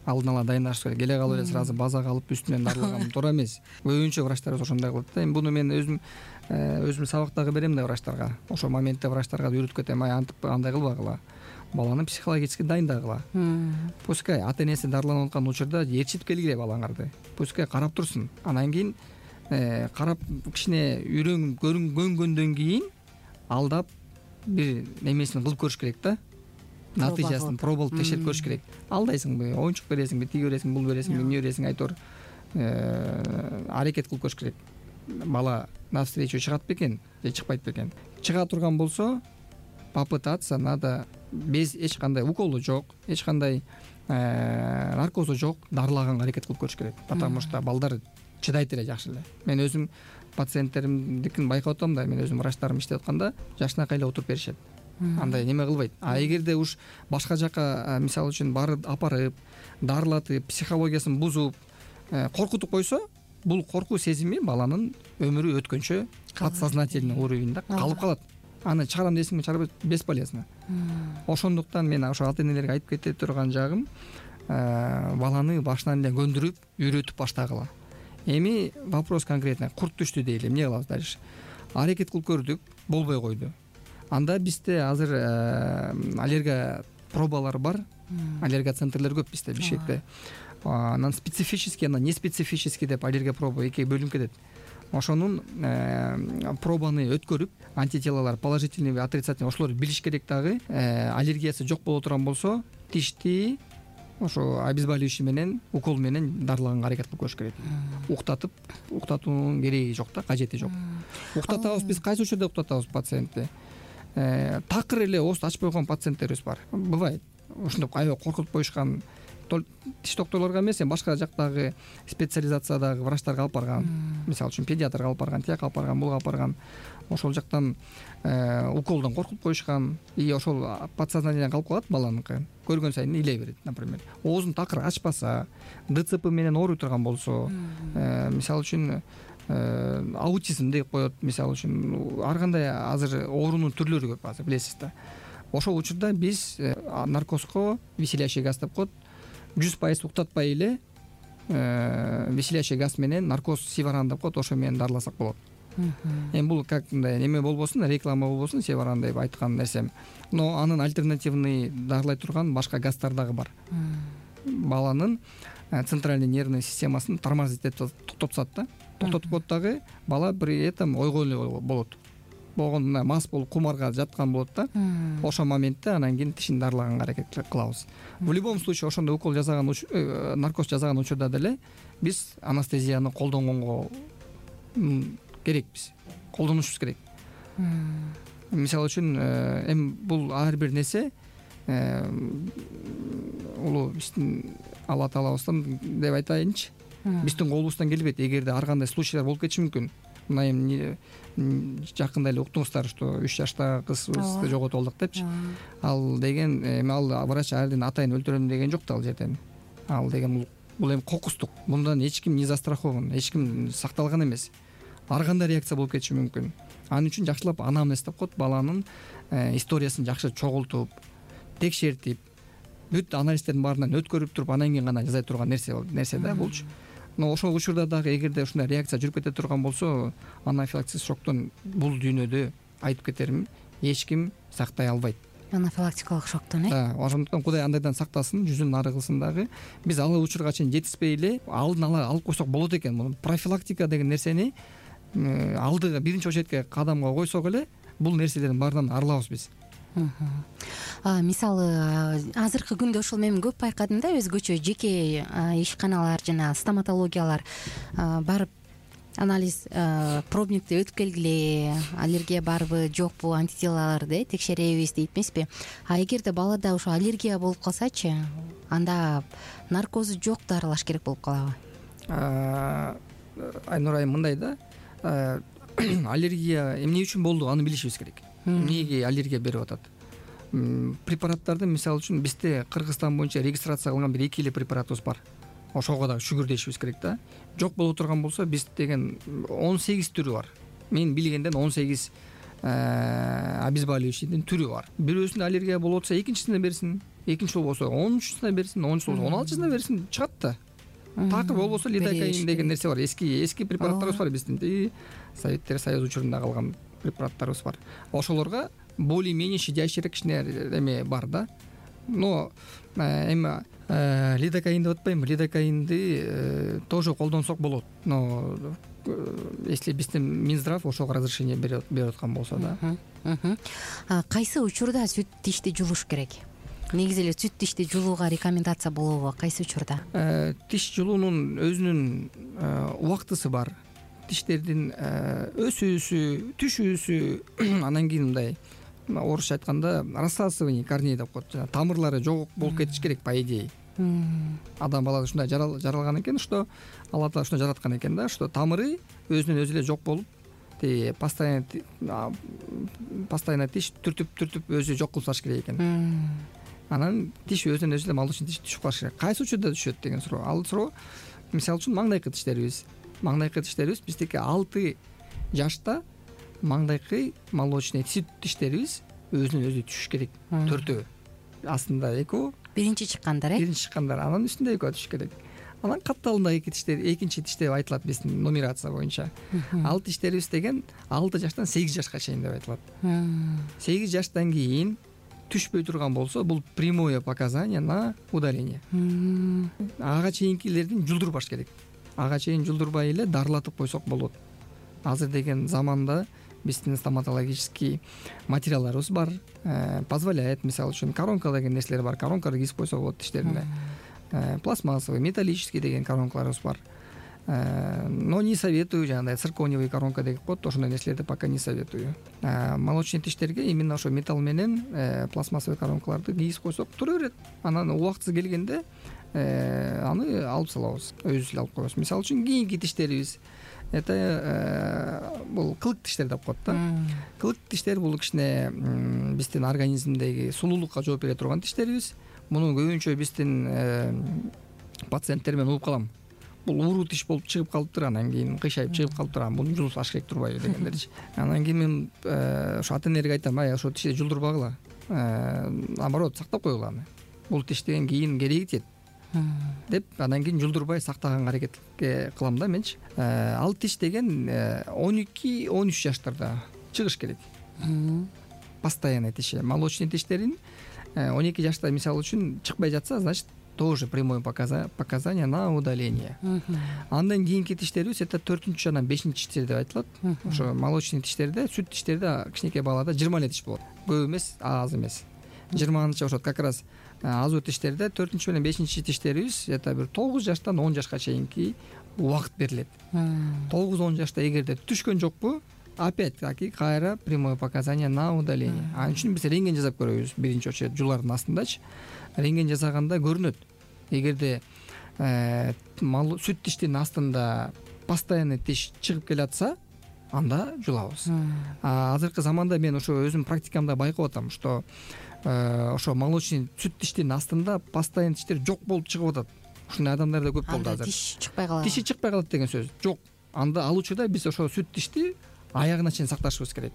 алдын ала дайындалыш керек. Келе калып эле сразу базага алып үстүнөн дарылаган туура эмес. Көбүнчө врачтарыбыз ошондой кылат да. Эми буну мен өзүм сабак дагы берем да врачтарга. Ошол моментте врачтарга да үйрөтүп кетем. Антип андай кылбагыла. Баланы психологически дайындагыла. Пускай ата энеси дарыланып аткан учурда ээрчитип келгиле балаңарды. Пускай карап турсун. Анан кийин карап кичине көрүнгөндөн кийин алдап бир немесин кылып көрүш керек да. Натыйжасын пробалып текшерип көрүш керек. Алдайсыңбы, оюнчук бересиңби, тиги бересиңби, бул бересиңби, эмне бересиң, айтор аракет кылып көрүш керек. Бала навстречу чыгат бекен же чыкпайт бекен. Чыга турган болсо, попытаться надо без эч кандай уколу жок, эч кандай наркозу жок, дарылаганга аракет кылып көрүш керек. Потому что балдар чыдайт эле жакшы эле. Мен өзүм пациенттеримдикин байкап атам да, мен өзүм врачтарым иштеп атканда жашынакай эле отуруп беришет. Андай неме кылбайт. А эгерде уж башка жака мисалы үчүн барып апарып, дарылатып, психологиясын бузуп, коркутуп койсо, бул коркуу сезими баланын өмүрү өткөнчө подсознательный уровеньде калып калат. Аны чыгарам десең чыгарбайт, бесполезно. Ошондуктан мен ошо ата энелерге айтып кете турган жагым, баланы башынан эле көндүрүп, үйрөтүп баштагыла. Эми вопрос конкретный, курт түштү дейли, эмне кылабыз дальше? Аракет кылып көрдүк, болбой койду. Анда бизде азыр аллергия пробалары бар, аллергия центрлер көп бизде Бишкекте. Анан специфический, анан неспецифический деп аллергия проба экиге бөлүнүп кетет. Ошонун пробаны өткөрүп, антителалар положительный же отрицательный ошолорду билиш керек дагы. Аллергиясы жок боло турган болсо, тишти ошо обезболивающий менен, укол менен дарылаганга аракет кылып көрүш керек. Уктатуунун кереги жок да, кажети жок. Уктатабыз биз кайсы учурда уктатабыз пациентти? Такыр эле ооз ачпай койгон пациенттерибиз бар. Бывайт. Ошондоп аябай коркутуп коюшкан тиш докторлорго эмес, башка жактагы специализациядагы врачтарга алып барган. Мисалы үчүн педиатрга алып барган, тияка алып барган, буга алып барган. Ошол жактан уколдон коркутуп коюшкан. И ошол подсознательно калып калат баланыкы. Көргөн сайын илей берет, например. Оозун такыр ачпаса, ДЦП менен ооруй турган болсо, мисалы үчүн аутизм деп коет, мисалы үчүн ар кандай азыр оорунун түрлөрү көп азыр, билесиз да. Ошол учурда биз наркозго веселящий газ деп коет, 100% уктатпай эле веселящий газ менен наркоз севаран деп коет, ошо менен дарыласак болот. Эми бул как мындай неме болбосун, реклама болбосун, севаран деп айткан нерсем. Но анын альтернативный дарылай турган башка газдар дагы бар. Баланын центральный нервный системасын тормозить этип токтотсат да. Токтотуп коет дагы, бала при этом ойгой эле болот. Болгондо мас болуп кумарга жаткан болот да. Ошол моментте анан кийин тишин дарылаганга аракет кылабыз. В любом случае ошондой укол жасаган, наркоз жасаган учурда деле биз анестезияны колдонгонго керекпиз. Колдонушубуз керек. Мисалы үчүн эми бул ар бир нерсе улуу биздин Алла Таалабыздан деп айтайынчы. Биздин колубуздан келбейт. Эгерде ар кандай случайлар болуп кетиши мүмкүн. Мына эми жакында эле уктуңуздар, что 3 жаштагы кызыбызды жоготуп алдык депчи. Ал деген эми ал врач ардын атайын өлтүрөм деген жок да ал жерден. Ал деген бул эми кокустук. Мындан эч ким не застрахован, эч ким сакталган эмес. Ар кандай реакция болуп кетиши мүмкүн. Ал үчүн жакшылап анамнез деп коет, баланын историясын жакшы чогултуп, текшертип, бүт анализдердин баарынан өткөрүп туруп, анан кийин гана жасай турган нерсе да болчу. Но ошол учурда дагы эгерде ушундай реакция жүрүп кете турган болсо, анафилактик шоктон бул дүйнөдө айтып кетерим, эч ким сактай албайт. Анафилактикалык шоктон, Ошондуктан Кудай андайдан сактасын, жүзүн ары кылсын дагы. Биз ал учурга чейин жетиспей эле алдын ала алып койсок болот экен. Профилактика деген нерсени алдыга биринчи очередке кадамга койсок эле, бул нерселердин баарынан арылабыз биз. Мисалы азыркы күндө ошол мен көп байкадым да, өзгөчө жеке ишканалар жана стоматологиялар барып анализ пробникти өтүп келгиле, аллергия барбы жокпу, антителаларды текшеребиз дейт эмеспи. А эгерде балада ошо аллергия болуп калсачы, анда наркозу жок дарылаш керек болуп калабы? Айнур айым, мындай да, аллергия эмне үчүн болду, аны билишибиз керек. Эмнеге аллергия берип атат? Препараттарды, мисалы үчүн бизде Кыргызстан боюнча регистрация кылган бир 2 эле препаратыбыз бар. Ошого дагы шүгүр дешибиз керек да. Жок боло турган болсо, биз деген 18 түрү бар. Мен билгенден 18 обезболивающийдин түрү бар. Бирөөсүндө аллергия болуп атса, экинчисине берсин. экинчи жолу болсо 13-сына берсин, 10-жолу болсо 16-сына берсин, чыгат да. Такыр болбосо лидокаин деген нерсе бар. Эски препараттарыбыз бар биздин. Советтер Союзу учурунда калган препараттарыбыз бар. Ошолорго более-менее щадящий кичине эме бар да. Но эми лидокаин деп атпайбы, лидокаинди тоже колдонсок болот. Но если биздин Минздрав ошого разрешение берип аткан болсо да. Кайсы учурда сүт тишти жулуш керек? Негизи эле сүт тишти жулууга рекомендация болобу? Кайсы учурда? Тиш жулуунун өзүнүн убактысы бар. Тиштердин өсүүсү, түшүүсү, анан кийин мындай орусча айтканда рассасывание корней деп коет. Тамырлары жок болуп кетиш керек по идее. Адам баласы ушундай жаралган экен, что Алла Таала ушундай жараткан экен да, что тамыры өзүнөн өзү эле жок болуп, постоянно тиш түртүп өзү жок кылып салыш керек экен. Анан тиш өзүнөн өзү эле молочный тиш түшүп калыш керек. Кайсы учурда түшөт деген суроо. Ал суроо мисалы үчүн маңдайкы тиштерибиз биздики 6 жашта маңдайкы молочный сүт тиштерибиз өзүнөн өзү түшүш керек. 4-өө. Астында экөө. Биринчи чыккандар, Биринчи чыккандар, анан үстүндө экөө түшүш керек. Анан катталындагы экинчи тиш деп айтылат биздин нумерация боюнча. Ал тиштерибиз деген 6 жаштан 8 жашка чейин деп айтылат. 8 жаштан кийин түшпөй турган болсо, бул прямое показание на удаление. Ага чейинкилердин жулдурбаш керек. Ага чейин жулдурбай эле дарылатып койсок болот. Азыр деген заманда биздин стоматологический материалдарыбыз бар, позволяет, мисалы үчүн коронка деген нерселер бар, коронканы кийип койсо болот тиштерине. Пластмассовый, металлический деген коронкаларыбыз бар. Но не советую, жанагындай циркониевый коронка деп коет, ошондой нерселерди пока не советую. Молочный тиштерге именно ошо металл менен пластмассовый коронкаларды кийип койсок тура берет. Анан убактысы келгенде аны алып салабыз, өзүбүз эле алып коебуз. Мисалы үчүн кийинки тиштерибиз это бул кылык тиштер деп коет да. Кылык тиштер бул кичине биздин организмдеги сулуулукка жооп бере турган тиштерибиз. Муну көбүнчө биздин пациенттер менен угуп калам. Бул ууруу тиш болуп чыгып калыптыр, анан кийин кыйшайып чыгып калыптыр, муну жулсаш керек турбайбы дегендерчи. Анан кийин мен ошо ата-энелерге айтам, ошо тишти жулдурбагыла, наоборот сактап койгула аны. Бул тиштен кийин кереги тиет деп, анан кийин жулдурбай сактаганга аракет кылам да менчи. Ал тиш деген 12-13 жаштарда чыгыш керек. Постоянный тиши, молочный тиштерин 12 жашта мисалы үчүн чыкпай жатса, значит тоже прямое показание на удаление. Андан кийинки тиштерибиз это 4-чү жана 5-чи тиштер деп айтылат. Ошо молочный тиштерде, сүт тиштерде кичинекей балада 20 эле тиш болот. Көп эмес, аз эмес. 20-чы ошо как раз азуу тиштерде 4-чү менен 5-чи тиштерибиз это бир 9 жаштан 10 жашка чейинки убакыт берилет. 9-10 жашта эгерде түшкөн жокпу, опять-таки кайра прямое показание на удаление. Ал үчүн биз рентген жасап көрөбүз биринчи очередь жулардын астындачы. Рентген жасаганда көрүнөт. Эгерде сүт тиштин астында постоянный тиш чыгып келатса, анда жулабыз. Азыркы заманда мен ошо өзүм практикамда байкап атам, что ошо молочный сүт тиштин астында постоянный тиштер жок болуп чыгып атат. Ушундай адамдар да көп болду азыр. Тиш чыкпай калат. Тиши чыкпай калат деген сөз жок. Анда ал учурда биз ошо сүт тишти аягына чейин сакташыбыз керек.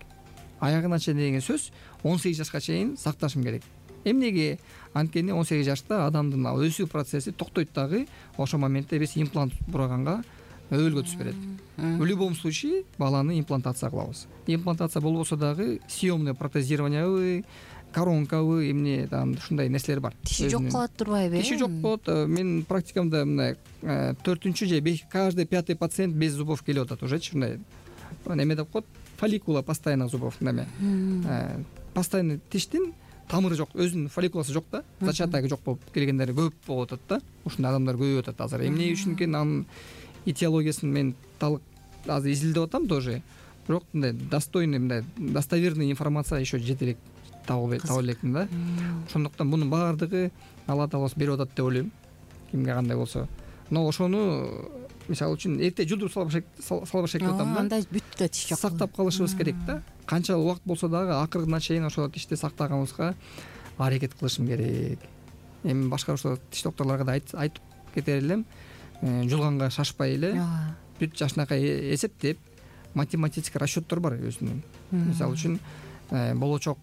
Аягына чейин деген сөз 18 жашка чейин сакташым керек. Эмнеге? Анткени 18 жашта адамдын өсүү процесси токтойт дагы, ошол моментте биз имплант бураганга өбөлгө түшүп берет. В любом случае баланы имплантация кылабыз. Имплантация болбосо дагы съемное протезированиябы, коронкабы, эмне там ушундай нерселер бар. Тиши жок калат турбайбы? Тиши жок болот. Мен практикамда мындай 4-чү же каждый 5-й пациент без зубов келип атат уже, ушундай. Эме деп коет, фолликула постоянных зубов неме. Постоянный тиштин тамыры жок, өзүнүн фолликуласы жок да, зачатогу жок болуп келгендер көп болуп атат да. Ушундай адамдар көбөйүп атат азыр. Эмне үчүн экен анын этиологиясын мен азыр изилдеп атам тоже. Бирок мындай достойный, мындай достоверный информация еще жете элек таба элекмин да. Ошондуктан мунун баардыгы Алла Таала берип атат деп ойлойм. Кимге кандай болсо. Но ошону мисалы үчүн эрте жулдуруп салбаш керек деп атам да. Анда бүттү да тиш жок. Сактап калышыбыз керек да. Канча убакыт болсо дагы акырына чейин ошол тишти сактаганыбызга аракет кылышым керек. Эми башка ошо тиш докторлорго да айтып кетер элем, жулганга шашпай эле, бүт жашынакай эсептеп, математический расчеттор бар өзүнүн. Мисалы үчүн болочок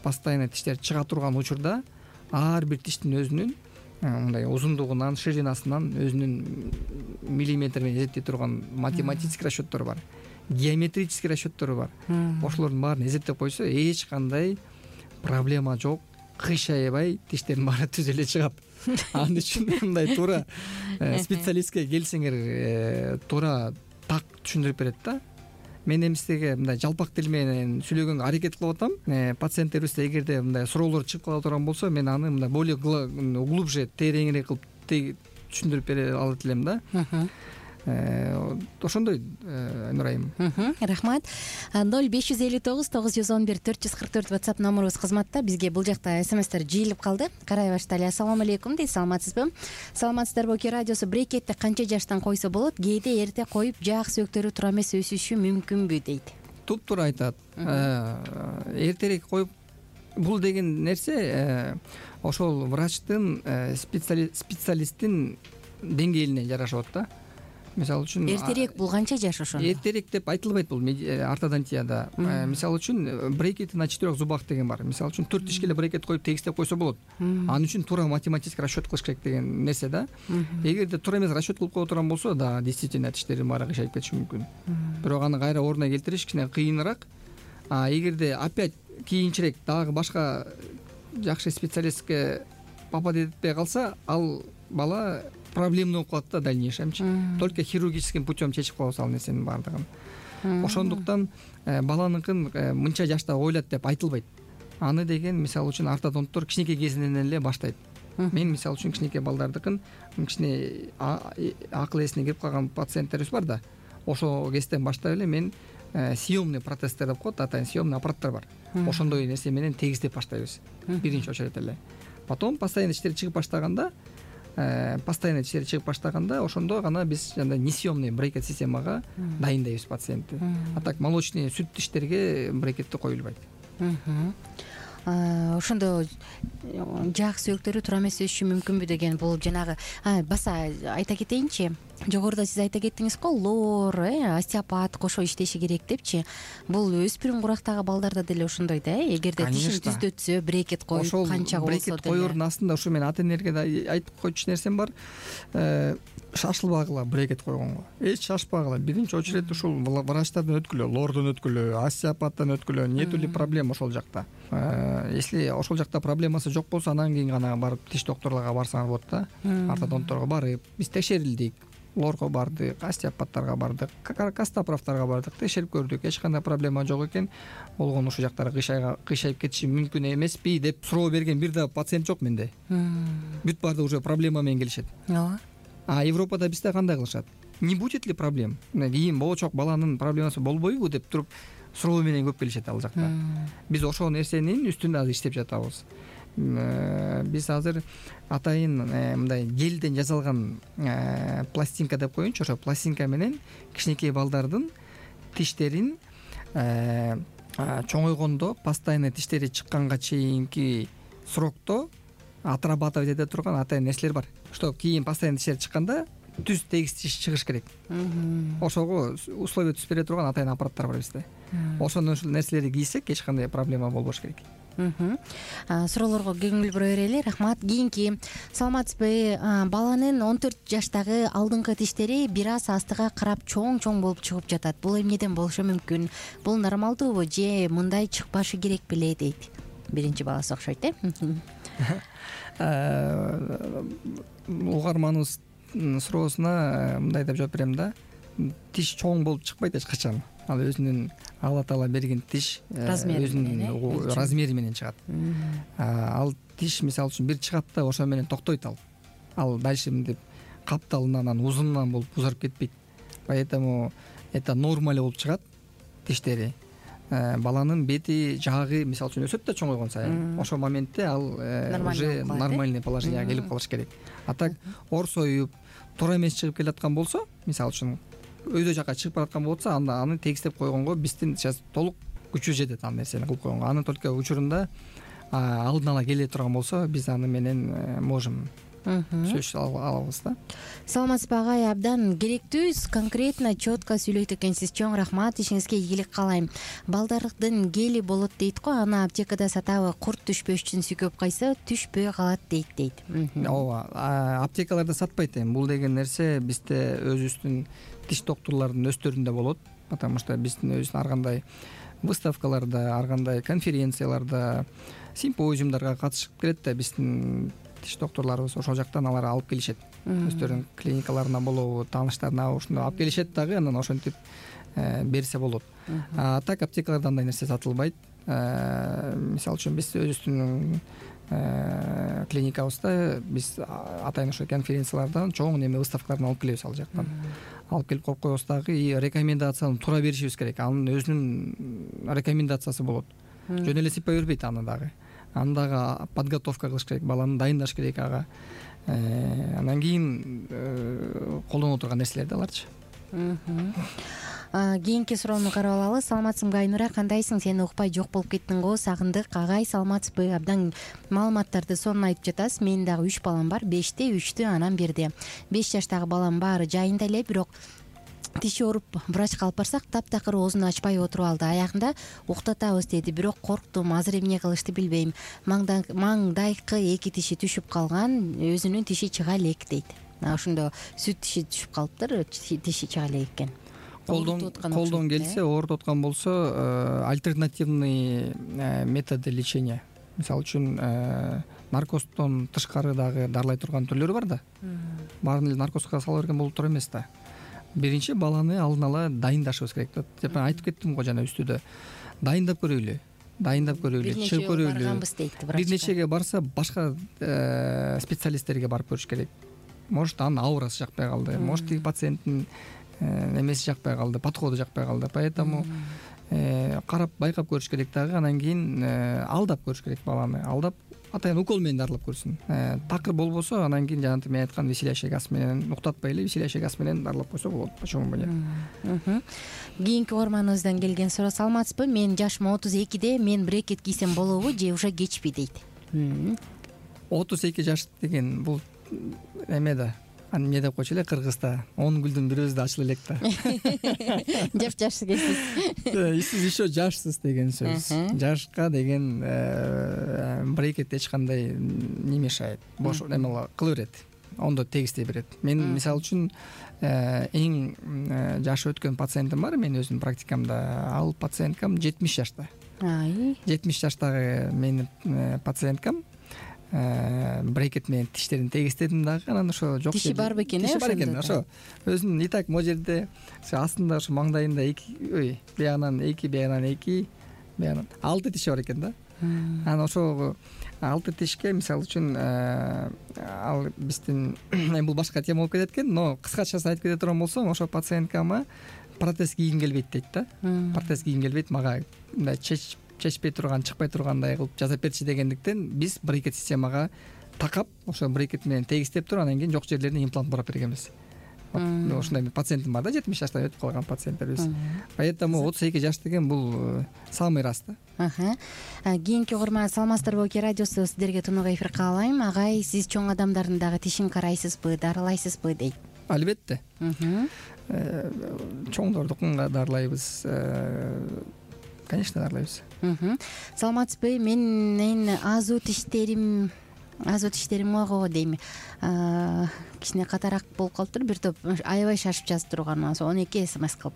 постоянный тиштер чыга турган учурда ар бир тиштин өзүнүн мындай узундугунан, ширинасынан өзүнүн миллиметр менен эзептей турган математический расчеттору бар, геометрический расчеттору бар. Ошолордун баарын эзептеп койсо эч кандай проблема жок, кыйшайбай тиштердин баары түз эле чыгат. Ал үчүн мындай туура специалистке келсеңер туура так түшүндүрүп берет да. Мен эми сизге мындай жалпак тил менен сүйлөгөнгө аракет кылып атам. Пациенттерибизде эгерде мындай суроолор чыгып кала турган болсо, мен аны мындай более глубже, тереңирээк кылып түшүндүрүп бере алат элем да. Ошондой, Нурайым. Рахмат. 0559-911-444 WhatsApp номерубуз кызматта. Бизге бул жакта смстер жыйылып калды. Карай баштайлы. Ассаламу алейкум дейт. Саламатсызбы? Саламатсыздарбы? Ки радиосу брекетти канча жаштан койсо болот? Кээде эрте коюп жаак сөөктөрү туура эмес өсүшү мүмкүнбү дейт. Туптуура айтат. Эртерээк коюп, бул деген нерсе ошол врачтын, специалисттин деңгээлине жарашат да. Мисалы үчүн эртерээк бул канча жаш ошондо? Эртерээк деп айтылбайт бул ортодонтияда. Мисалы үчүн брекети на 4 зубах деген бар. Мисалы үчүн 4 тишке эле брекет коюп тегистеп койсо болот. Анын үчүн туура математический расчет кылыш керек деген нерсе да. Эгерде туура эмес расчет кылып кое турган болсо, да, действительно тиштердин баары кыйшайып кетиши мүмкүн. Бирок аны кайра ордуна келтириш кичине кыйыныраак. Эгерде опять кийинчерээк дагы башка жакшы специалистке попадать этпей калса, ал бала проблемный болуп калат да дальнейшемчи. Только хирургическим путем чечип коебуз ал нерсенин баардыгын. Ошондуктан баланыкын мынча жашта ойлот деп айтылбайт. Аны деген мисалы үчүн ортодонттор кичинекей кезинен эле баштайт. Мен мисалы үчүн кичинекей балдардыкын кичине акыл эсине кирип калган пациенттерибиз бар да. Ошол кезден баштап эле мен съемный протездер деп коет, атайын съемный аппараттар бар. Ошондой нерсе менен тегиздеп баштайбыз. Биринчи очередь эле. Потом постоянно тиштери чыгып баштаганда, ошондо гана биз жана несъемный брекет системага дайындайбыз пациентти. А так молочный сүт тиштерге брекетти коюлбайт. Ошондо жаак сөөктөрү туура эмес өсүшү мүмкүнбү деген бул жанагы баса айта кетейинчи. Жогоруда сиз айта кеттиңиз го, лор, остеопат кошо иштеши керек депчи. Бул өспүрүм курактагы балдарда деле ошондой да, эгерде тишин түздөтсө, брекет коюп канча болсо деле. Брекет коердун астында ушу мен ата энелерге да айтып койчу нерсем бар. Шашылбагыла брекет койгонго. Эч шашпагыла. Биринчи очередь ушул врачтардан өткүлө, лордон өткүлө, остеопаттан өткүлө. Нетули проблема ошол жакта. Если ошол жакта проблемасы жок болсо, анан кийин гана барып тиш докторлорго барсаңар болот да. Ортодонтторго барып, биз текшерилдик. Лорго бардык, остеопаттарга бардык, костоправтарга бардык, текшерип көрдүк. Эч кандай проблема жок экен. Болгону ушул жактары кыйшайып кетиши мүмкүн эмеспи деп суроо берген бир да пациент жок менде. Бүт баарды уже проблема менен келишет. А Европада бизде кандай кылышат? Не будет ли проблем? Кийин болочок баланын проблемасы болбойбу деп туруп суроо менен көп келишет ал жакта. Биз ошол нерсенин үстүндө азыр иштеп жатабыз. Биз азыр атайын мындай гелден жасалган пластинка деп коеюнчу, ошо пластинка менен кичинекей балдардын тиштерин чоңойгондо, постоянно тиштери чыкканга чейинки срокто отрабатывать эте турган атайын нерселер бар. Что кийин постоянно тиштери чыкканда түз тегиз тиш чыгыш керек. Ошого условия түзүп бере турган атайын аппараттар бар бизде. Ошонун нерселерди кийсек эч кандай проблема болбош керек. Суроолорго көңүл бура берели. Рахмат. Кийинки саламатсызбы? Баланын 14 жаштагы алдыңкы тиштери бир аз астыга карап чоң болуп чыгып жатат. Бул эмнеден болушу мүмкүн? Бул нормалдуубу же мындай чыкпашы керек беле дейт. Биринчи баласы окшойт Угарманыбыз суроосуна мындай деп жооп берем да. Тиш чоң болуп чыкпайт эч качан. Ал өзүнүн Алла Таала берген тиш өзүнүн размери менен чыгат. Ал тиш мисалы үчүн бир чыгат да ошо менен токтойт ал. Ал дальше мынтип капталынан, узунунан болуп узарып кетпейт. Поэтому это нормаль болуп чыгат тиштери. Баланын бети, жаагы мисалы үчүн өсөт да чоңойгон сайын. Ошол моментте ал уже нормальный положенияга келип калыш керек. А так орсоюп, туура эмес чыгып келаткан болсо, мисалы үчүн өйдө жака чыгып бараткан болсо, аны тегистеп койгонго биздин сейчас толук күчү жетет ал нерсени кылып койгонго. Аны только учурунда алдын ала келе турган болсо, биз аны менен можем сөз алабыз да. Саламатсызбы агай, абдан керектүү, конкретно, четко сүйлөйт экенсиз. Чоң рахмат, ишиңизге ийгилик каалайм. Балдардын гели болот дейт го, аны аптекада сатабы, курт түшпөш үчүн сүйкөп кайса түшпөй калат дейт. Ооба, аптекаларда сатпайт эми. Бул деген нерсе бизде өзүбүздүн тиш доктурлардын өстөрүндө болот, потому что биздин өзүбүздүн ар кандай выставкаларда, ар кандай конференцияларда, симпозиумдарга катышып келет да биздин тиш доктурларыбыз. Ошол жактан алар алып келишет. Өздөрүнүн клиникаларына болобу, тааныштарына ушуну алып келишет дагы, анан ошентип берсе болот. Так аптекаларда андай нерсе сатылбайт. Мисалы үчүн биз өзүбүздүн клиникабызда биз атайын ошо конференциялардан чоң неме выставкалардан алып келебиз, ал жактан алып келип коюп коебуз дагы, и рекомендацияны туура беришибиз керек. Анын өзүнүн рекомендациясы болот. Жөн эле сыйпай бербейт аны дагы. Аны дагы подготовка кылыш керек, баланы дайындаш керек ага. Анан кийин колдоно турган нерселер да аларчы. Кийинки суроону карап алалы. Саламатсыңбы Айнура, кандайсың? Сени укпай жок болуп кеттиң го, сагындык. Агай, саламатсызбы? Абдан маалыматтарды сонун айтып жатасыз. Менин дагы 3 балам бар. 5те, 3тө анан 1де. 5 жаштагы балам баары жайында эле, бирок тиши ооруп врачка алып барсак, таптакыр оозун ачпай отуруп алды. Аягында уктатабыз деди, бирок корктум. Азыр эмне кылышты билбейм. Маңдайкы 2 тиши түшүп калган, өзүнүн тиши чыга элек дейт. Ошондо сүт тиши түшүп калыптыр, тиши чыга элек экен. Колдон келсе, оорутуп аткан болсо, альтернативный методы лечения. Мисалы үчүн наркоздон тышкары дагы дарылай турган түрлөрү бар да. Баарын эле наркозго сала берген болуп тура эмес да. Биринчи баланы алдын ала дайындашыбыз керек да. Деп айтып кеттим го жана үстүдө. Дайындап көрөйлү, чыгып көрөйлү. Бир нечеге барса, башка специалисттерге барып көрүш керек. Может, анын аурасы жакпай калды, может, пациенттин эмеси жакпай калды, подходу жакпай калды. Поэтому карап байкап көрүш керек дагы, анан кийин алдап көрүш керек баланы. Алдап атайын укол менен дарылап көрсүн. Такыр болбосо, анан кийин жанагы мен айткан веселящий газ менен, уктатпай эле веселящий газ менен дарылап койсо болот. Почему бы нет? Кийинки угарманыбыздан келген суроо. Саламатсызбы? Менин жашым 32де, мен брекет кийсем болобу же уже кечпи дейт. 32 жаш деген бул эме да. Эмне деп койчу эле кыргызда, 10 гүлдүн бир өзү да ачыла элек да. Жаш экенсиз. Сиз еще жашсыз деген сөз. Жашка деген брекет эч кандай не мешает. Бош эме кыла берет. Ондо тегистей берет. Мен мисалы үчүн эң жашы өткөн пациентим бар, мен өзүмдүн практикамда. Ал пациенткам 70 жашта. 70 жаштагы менин пациенткам брекет менен тиштерин тегистедим дагы, анан ошо жок. Тиши бар бекен, Тиши бар экен. Ошо өзүнүн и так могу жерде астында ошо маңдайында 2, биягынан 2, биягынан 2, биягынан 6 тиши бар экен да. Анан ошо 6 тишке мисалы үчүн ал биздин бул башка тема болуп кетет экен, но кыскачасын айтып кете турган болсом, ошо пациенткама протез кийгим келбейт дейт да. Протез кийгим келбейт, мага мындай чечпей турган, чыкпай тургандай кылып жасап берчи дегендиктен биз брекет системага такап, ошо брекет менен тегистеп туруп, анан кийин жок жерлерине имплант бурап бергенбиз. Ошондой пациентим бар да, 70 жаштан өтүп калган пациенттерибиз. Поэтому 32 жаш деген бул самый раз да. Кийинки угарман. Саламатсыздарбы, Оке радиосу, сиздерге тунук эфир каалайм. Агай, сиз чоң адамдардын дагы тишин карайсызбы, дарылайсызбы дейт. Албетте. Чоңдордукун дарылайбыз. Конечно, дарылайбыз. Саламатсызбы? Менин азуу тиштерим ого дейм. Кичине катараак болуп калыптыр. Бир топ аябай шашып жазып турган, 12 смс кылып.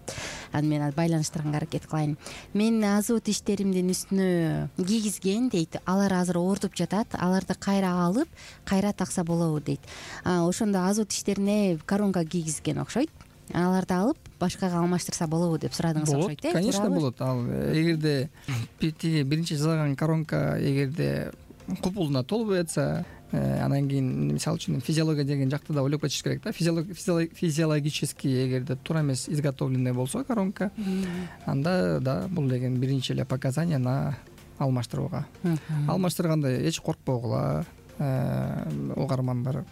Анан мен байланыштырганга аракет кылайын. Мен азуу тиштеримдин үстүнө кийгизген дейт. Алар азыр оорутуп жатат. Аларды кайра алып, кайра такса болобу дейт. Ошондо азуу тиштерине коронка кийгизген окшойт. Аларды алып башкага алмаштырса болобу деп сурадыңыз окшойт, э? Конечно, болот. Ал эгерде биринчи жасаган коронка эгерде купулуна толбой атса, анан кийин мисалы үчүн физиология деген жакты да ойлоп кетиш керек да. Физиологически эгерде туура эмес изготовленный болсо коронка, анда да бул деген биринчи эле показания на алмаштырууга. Алмаштырганда эч коркпогула, угармандар.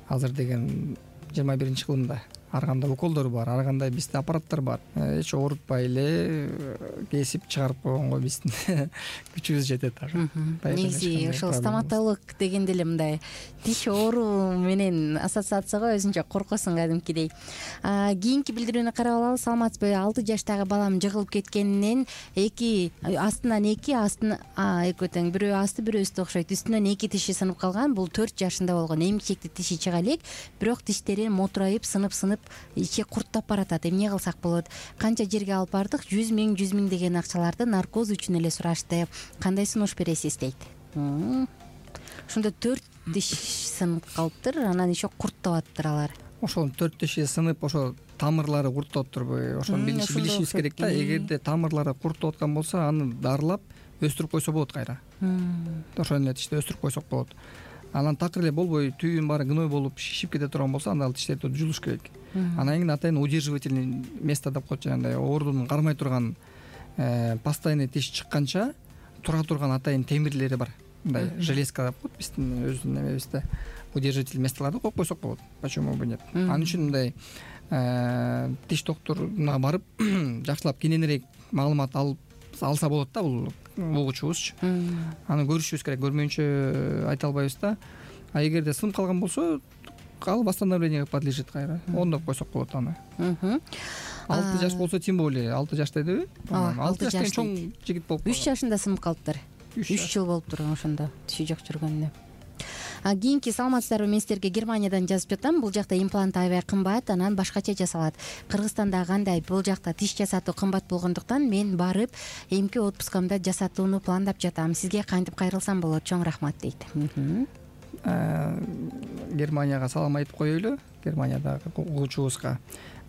Азыр деген 21-кылымда ар кандай уколдор бар, ар кандай бизде аппараттар бар. Эч оорутпай эле кесип чыгарып койгонго биздин күчүбүз жетет дагы. Негизи ошол стоматолог дегенде эле мындай тиш ооруу менен ассоциацияга өзүнчө коркосуң кадимкидей. Кийинки билдирүүнү карап алалы. Саламатсызбы? 6 жаштагы балам жыгылып кеткенинен астынан экөө тең, бирөө асты бирөө үстү окшойт. Үстүнөн 2 тиши сынып калган. Бул 4 жашында болгон. Эмчекти тиши чыга элек, бирок тиштери мотурайып, сынып ичи курттап баратат. Эмне кылсак болот? Канча жерге алып бардык? 100 миң деген акчаларды наркоз үчүн эле сурашты. Кандай сунуш бересиз дейт. Ошондо 4 тиш сынып калыптыр, анан еще курттап алар. Ошол 4 тиши сынып, ошо тамырлары курттап турбу? Ошону билишибиз керек да. Эгерде тамырлары курттап аткан болсо, аны дарылап өстүрүп койсо болот кайра. Ошол эле тишти өстүрүп койсок болот. Анан такыр эле болбой түйүн баары гной болуп шишип кете турган болсо, анда ал тиштерди жулуш керек. Анан кийин атайын удерживательный место деп коет, жанагындай оорунун кармай турган постоянный тиш чыкканча тура турган атайын темирлери бар. Мындай железка деп коет биздин өзүнүн немебизде. Удержительный местолорду коюп койсок болот. Почему бы нет? Анын үчүн мындай тиш доктуруна барып жакшылап кененирээк маалымат алса болот да, бул угуучубузчу. Аны көрүшүбүз керек, көрмөйүнчө айта албайбыз да. А эгерде сынып калган болсо, ал восстановленияга подлежит кайра. Ондоп койсок болот аны. 6 жаш болсо тем более, 6 жаш дедиби? 6 жаш деген чоң жигит болуп. 3 жашында сынып калыптыр. 3 жыл болуп турган ошондо тиши жок жүргөнүнө. Кийинки саламатсыздарбы? Мен силерге Германиядан жазып жатам. Бул жакта имплант аябай кымбат, анан башкача жасалат. Кыргызстанда кандай? Бул жакта тиш жасатуу кымбат болгондуктан мен барып эмки отпускамда жасатууну пландап жатам. Сизге кантип кайрылсам болот? Чоң рахмат дейт. Германияга салам айтып коелу. Германиядагы угуучубузга.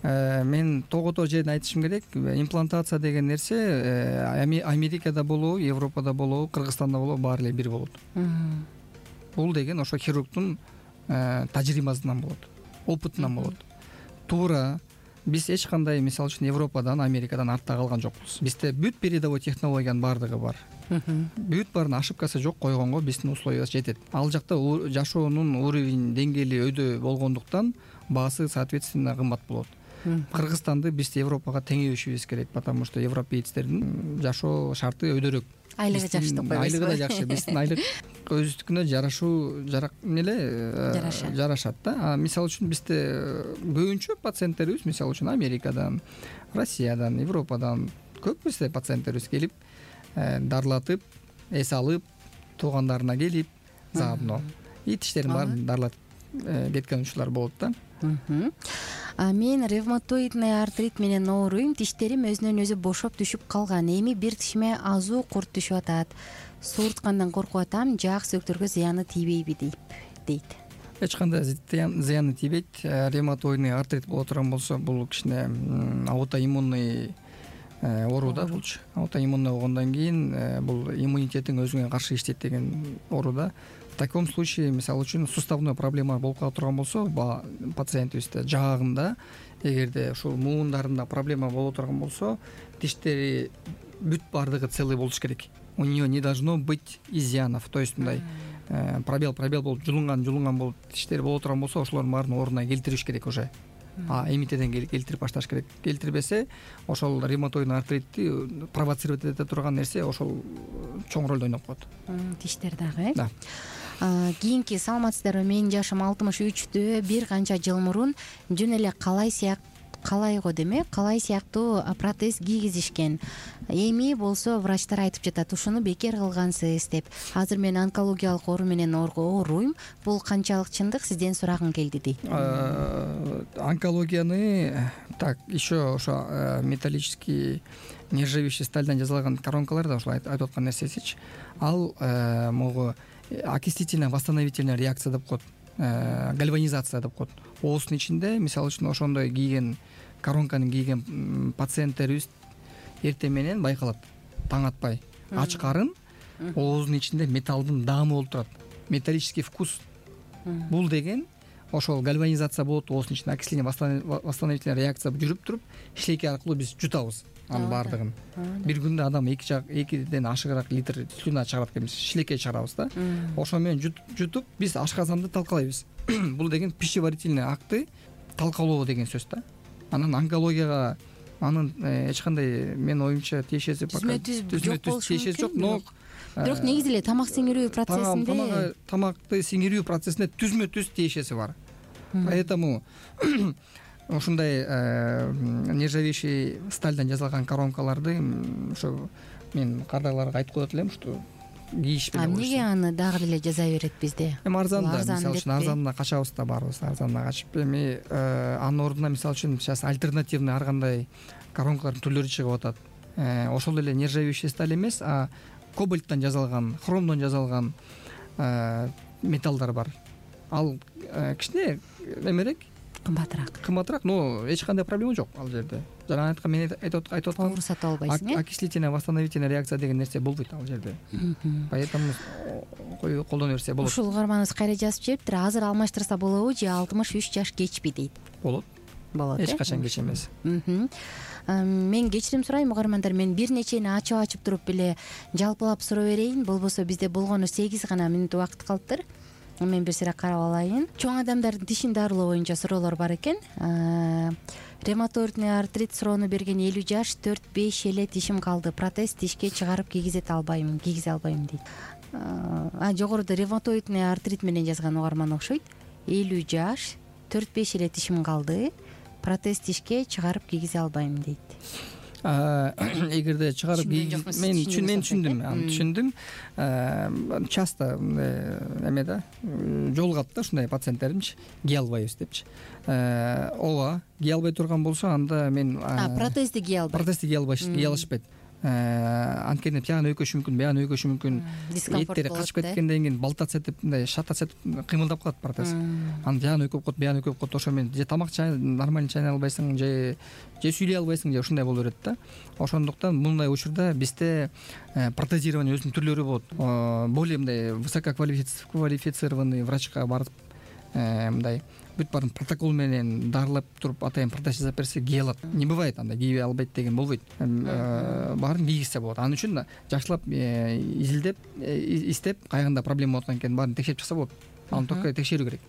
Мен тогото жерин айтышым керек. Имплантация деген нерсе Америкада болобу, Европада болобу, Кыргызстанда болобу, баары эле бир болот. Бул деген ошо хирургдун тажрыйбасынан болот, опытынан болот. Туура биз эч кандай, мисалы үчүн, Европадан, Америкадан артта калган жокпуз. Бизде бүт передовой технологиянын баардыгы бар. Бүт баарынын ошибкасы жок, койгонго биздин условиябыз жетет. Ал жакта жашоонун уровень деңгээли өйдө болгондуктан баасы соответственно кымбат болот. Кыргызстанды биз Европага теңебешибиз керек, потому что европейцтердин жашоо шарты өйдөрөөк. Айлыгы жакшы деп койбойсузбу? Айлыгы да жакшы. Биздин айлык өзүнүкүнө жарашат да. Мисалы үчүн бизде көбүнчө пациенттерибиз, мисалы үчүн, Америкадан, Россиядан, Европадан көп бизде пациенттерибиз келип, дарылатып, эс алып, туугандарына келип, заодно и тиштерин баарын дарылатып кеткен учурлар болот да. Мен ревматоидный артрит менен ооруйм. Тиштерим өзүнөн өзү бошоп түшүп калган. Эми бир тишиме азуу курт түшүп атат. Суурткандан коркуп атам. Жаак сөөктөргө зыяны тийбейби дейт. Эч кандай зыяны тийбейт. Ревматоидный артрит боло турган болсо, бул кичине аутоиммунный оору да булчу. Аутоиммунный болгондон кийин бул иммунитетиң өзүңө каршы иштейт деген оору да. В таком случае, мисалы үчүн, суставной проблема болуп кала турган болсо, пациентибизде жаагында, эгерде ушул муундарында проблема боло турган болсо, тиштери бүт баардыгы целый болуш керек. У нее не должно быть изъянов. То есть мындай пробел болуп, жулунган болуп тиштери боло турган болсо, ошолордун баарын ордуна келтириш керек уже. Эмитеден келтирип башташ керек. Келтирбесе, ошол ревматоидный артритти провоцировать эте турган нерсе ошол чоң ролду ойноп коет. Тиштер дагы, э? Да. Кийинки саламатсыздарбы? Менин жашым 63-тө. Бир канча жыл мурун жөн эле калай сыяктуу протез кийгизишкен. Эми болсо врачтар айтып жатат, ушуну бекер кылгансыз деп. Азыр мен онкологиялык оору менен ооруйм. Бул канчалык чындык? Сизден сурагым келди дейт. Онкологияны так еще ошо металлический нержавеющий стальдан жасалган коронкалар да ушул айтып аткан нерсесичи. Ал могу окислительно восстановительная реакция деп коет, гальванизация деп коет. Ооздун ичинде, мисалы үчүн, ошондой кийген коронканы кийген пациенттерибиз эртең менен байкалат, таң атпай ач карын, ооздун ичинде металлдын даамы болуп турат, металлический вкус. Бул деген ошол гальванизация болот, ооздун ичинде окисление восстановительная реакция жүрүп туруп, шилекей аркылуу биз жутабыз анын баардыгын. Бир күндө адам 2ден ашыгыраак литр слюна чыгарат экенбиз, шилекей чыгарабыз да. Ошо менен жутуп биз ашказанды талкалайбыз. Бул деген пищеварительный акты талкалоо деген сөз да. Анан онкологияга анын эч кандай менин оюмча тиешеси түзмө-түз тиешеси жок, но бирок негизи эле тамак сиңирүү процессинде тамакты сиңирүү процессине түзмө-түз тиешеси бар. Поэтому ушундай нержавеющий стальдан жасалган коронкаларды ошо мен кардайларга айтып коет элем, что кийишпей. Эмнеге аны дагы эле жасай берет бизде? Арзан да, мисалы үчүн арзанына качабыз да, баарыбыз арзанына качып, эми анын ордуна мисалы үчүн сейчас альтернативный ар кандай коронкалардын түрлөрү чыгып атат. Ошол эле нержавеющий сталь эмес, а кобальттан жасалган, хромдон жасалган металлдар бар. Ал кичине эмерээк, кымбатыраак, но эч кандай проблема жок ал жерде. Жана айткан мен айтып аткам, оор сатып албайсың, окислительная восстановительная реакция деген нерсе болбойт ал жерде. Поэтому колдоно берсе болот. Ушул угарманыбыз кайра жазып жибептир. Азыр алмаштырса болобу же 63 жаш кечпи дейт. Болот. Эч качан кеч эмес. Мен кечирим сурайм угармандар, мен бир нечени ачып туруп эле жалпылап суроо берейин. Болбосо бизде болгону 8 гана мүнөт убакыт калыптыр. Мен бир сыйра карап алайын. Чоң адамдардын тишин дарылоо боюнча суроолор бар экен. Ревматоидный артрит суроону берген 50 жаш, 4-5 эле тишим калды. Протез тишке чыгарып кийгизе албайм дейт. Жогоруда ревматоидный артрит менен жазган угарман окшойт. 50 жаш, 4-5 эле тишим калды. Протез тишке чыгарып кийгизе албайм дейт. Эгерде чыгарып мен түшүндүм. Часто эме да жолугат да ушундай пациенттеримчи, кие албайбыз депчи. Ооба, кие албай турган болсо анда мен протезди кие алышпайт. Анткени тягын өйкөшү мүмкүн, буягын өйкөшү мүмкүн. Эттери качып кеткенден кийин балтат сетип, мындай шатат сетип кыймылдап калат протез. Анын тягын өйкөп коет, буягын өйкөп коет. Ошо мен же тамак нормально чайнай албайсың, же сүйлөй албайсың, же ушундай боло берет да. Ошондуктан мындай учурда бизде протезирование өзүнүн түрлөрү болот. Более мындай высококвалифицированный врачка барып мындай бүт баарын протокол менен дарылап туруп атайын протез жасап берсе кие алат. Не бывает анда кийбей албайт деген болбойт. Баарын кийгизсе болот. Анын үчүн жакшылап изилдеп, истеп, кайгында проблема болот экен баарын текшерип чыкса болот. Аны только текшерүү керек.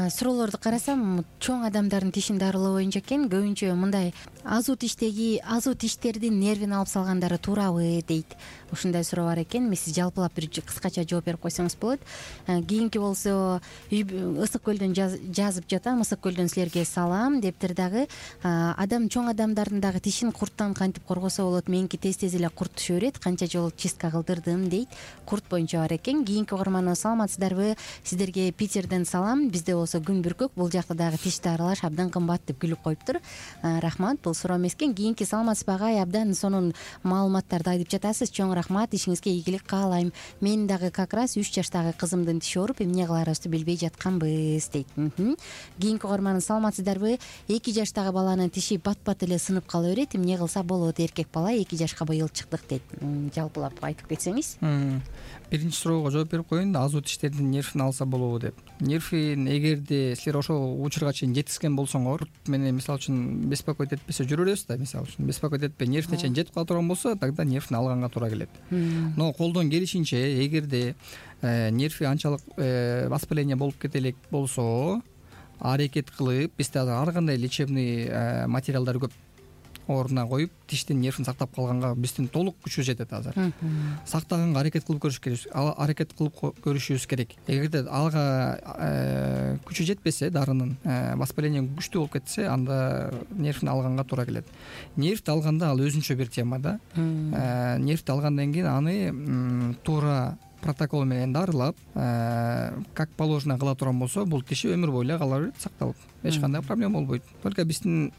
Суроолорду карасам, чоң адамдардын тишин дарылоо боюнча экен, көбүнчө мындай азу тиштердин нервин алып салгандары туурабы дейт. Ушундай суроо бар экен. Сиз жалпылап бир кыскача жооп берип койсоңуз болот. Кийинки болсо Ысык көлдөн жазып жатам. Ысык көлдөн силерге салам дептир дагы. Чоң адамдардын дагы тишин курттан кантип коргосо болот? Меники тез эле курт түшө берет. Канча жолу чистка кылдырдым дейт. Курт боюнча бар экен. Кийинки угарманыбыз саламатсыздарбы? Сиздерге Питерден салам. Бизде болсо күн бүркөк, бул жакта дагы тиш дарылаш абдан кымбат деп күлүп коюптур. Рахмат, бул суроо эмес экен. Кийинки саламатсызбы агай? Абдан сонун маалыматтарды айтып жатасыз. Чоң рахмат, ишиңизге ийгилик каалайм. Мен дагы как раз 3 жаштагы кызымдын тиши ооруп, эмне кыларыбызды билбей жатканбыз дейт. Кийинки угарман саламатсыздарбы? 2 жаштагы баланын тиши бат-бат эле сынып кала берет. Эмне кылса болот? Эркек бала 2 жашка быйыл чыктык дейт. Жалпылап айтып кетсеңиз. Биринчи суроого жооп берип коеюн. Азу тиштердин нервин алса болобу деп. Нервин эгерде силер ошол учурга чейин жеткизген болсоңор, менен мисалы үчүн беспокоить этпесе жүрө беребиз да, мисалы үчүн беспокоить этпей нервине чейин жетип кала турган болсо, тогда нервин алганга туура келет. Но колдон келишинче эгерде нерви анчалык воспаление болуп кете элек болсо, аракет кылып, бизде ар кандай лечебный материалдар көп ордуна коюп, тиштин нервин сактап калганга биздин толук күчү жетет азыр. Сактаганга аракет кылып көрүшүбүз керек. Эгерде ага күчү жетпесе, дарынын воспаление күчтүү болуп кетсе, анда нервин алганга туура келет. Нервти алганда ал өзүнчө бир тема да. Нервти алгандан кийин аны туура протокол менен дарылап, как положено кыла турган болсо, бул тиши өмүр бою кала берет, сакталып. Эч кандай проблема болбойт. Только биздин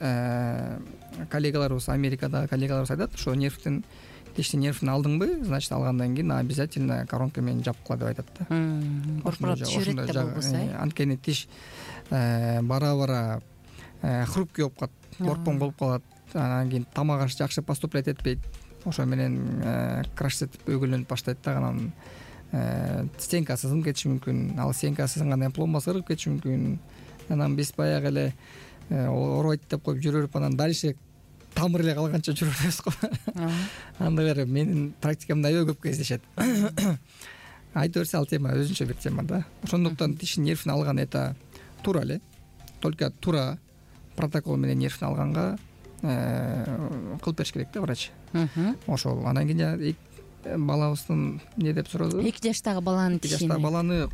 коллегаларыбыз, Америкада коллегаларыбыз айтат, ошо тиштин нервин алдыңбы, значит алгандан кийин обязательно коронка менен жапып кала деп айтат да. Корпорат түшүрөт да болбосо. Анткени тиш бара-бара хрупкий болуп калат, борпоң болуп калат. Анан кийин тамак аш жакшы поступлять этпейт. Ошо менен краш этип өгүлөнүп баштайт да. Анан стенкасы сынып кетиши мүмкүн. Ал стенкасы сынгандан пломбасы ыргып кетиши мүмкүн. Анан биз баягы эле оорубайт деп коюп жүрө берип, анан дальше тамыр эле калганча жүрө беребиз го. Анда менин практикамда аябай көп кездешет. Айта берсе, ал тема өзүнчө бир тема да. Ошондуктан тиштин нервин алган это туура эле. Только туура протокол менен нервни алганга кылып бериш керек да врач. Ошол анан кийин балабыздын эмне деп сурады? 2 жаштагы баланын тишини. 2 жаштагы баланы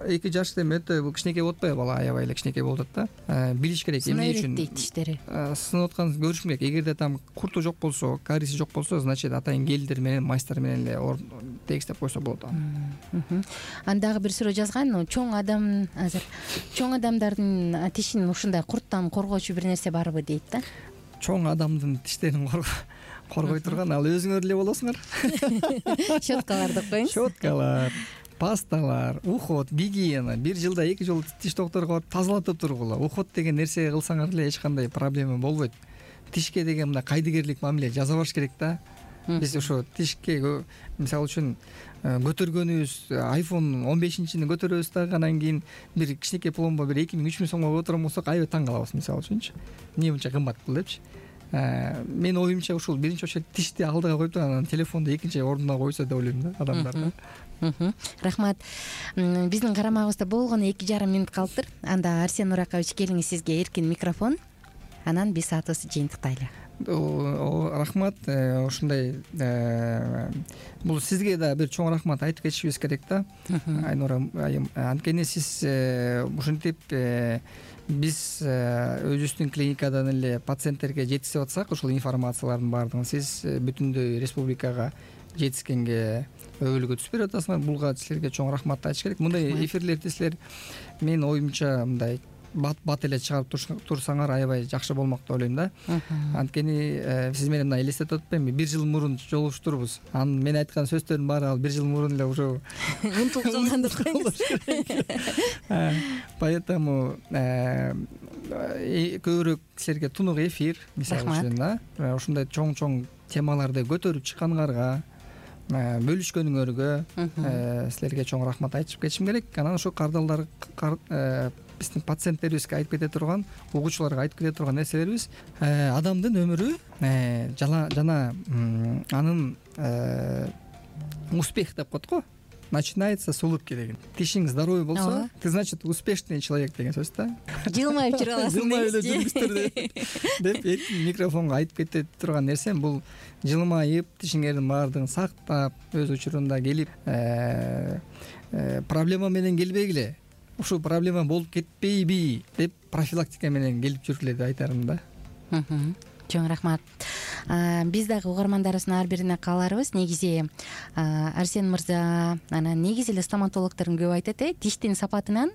2 жаш эми өтө бул кичинекей болуп атпайбы, бала аябай эле кичинекей болуп атат да. Билиш керек эмне үчүн тиштери. Сынып атканын көрүш керек. Эгерде там курту жок болсо, кариеси жок болсо, значит атайын гелдер менен, мастер менен эле тегистеп койсо болот. Андагы бир суроо жазган, чоң адамдардын тишин ушундай курттан коргоочу бир нерсе барбы дейт да. Чоң адамдын тиштерин коргой турган ал өзүңөр эле болосуңар. Щеткалар деп коюңуз. Щеткалар, пасталар, уход, гигиена. Бир жылда 2 жолу тиш докторуна барып тазалатып тургула. Уход деген нерсе кылсаңар эле эч кандай проблема болбойт. Тишке деген мындай кайдыгерлик мамиле жасап барыш керек да. Биз ошо тишке мисалы үчүн көтөргөнүбүз iPhone 15-чини көтөрөбүз дагы, анан кийин бир кичинекей пломба бир 2000-3000 сомго көтөргөн болсок аябай таң калабыз, мисалы үчүнчү. Эмне мынча кымбат бул депчи. Менин оюмча ушул биринчи очередь тишти алдыга коюп анан телефонду экинчи ордуна койсо деп ойлойм да адамдар. Рахмат. Биздин карамагыбызда болгону 2,5 мүнөт калыптыр. Анда Арсен Нуракович, келиңиз, сизге эркин микрофон. Анан биз саатыбызды жыйынтыктайлы. Рахмат. Ушундай бул сизге да бир чоң рахмат айтып кетишибиз керек да. Айнура айым, анткени сиз ушинтип биз өзүбүздүн клиникадан эле пациенттерге жеткизип атсак, ушул информациялардын баардыгын сиз бүтүндөй республикага жеткизгенге өбөлгө түшүп берип атасыңар. Булга силерге чоң рахмат айтыш керек. Мындай эфирлерди силер менин оюмча мындай бат эле чыгарып турсаңар аябай жакшы болмок деп ойлойм да. Анткени сиз менен мына элестетип атпаймынбы, 1 жыл мурун жолугуштурбуз. Анан мен айткан сөздөрдүн баары ал 1 жыл мурун эле уже унутулуп калган деп коюңуз. Поэтому көбүрөөк силерге тунук эфир, мисалы үчүн да, ушундай чоң темаларды көтөрүп чыкканыңарга, бөлүшкөнүңөргө силерге чоң рахмат айтып кетишим керек. Анан ошо кардалдар биздин пациенттерибизге айтып кете турган, угуучуларга айтып кете турган нерселерибиз адамдын өмүрү жана анын успех деп коет го. Начинается с улыбки деген. Тишиң здоровый болсо, ты, значит, успешный человек деген сөз да. Жылмайып жүрө аласың. Жылмайып эле жүрүңүздөр деп микрофонго айтып кете турган нерсем бул жылмайып, тишиңердин баардыгын сактап, өз учурунда келип, проблема менен келбегиле. Ушул проблема болуп кетпейби деп профилактика менен келип жүргүлө деп айтарым да. Чоң рахмат. Биз дагы угармандарыбыздын ар бирине кааларыбыз. Негизи Арсен мырза, анан негизи эле стоматологдордун көп айтат, тиштин сапатынан,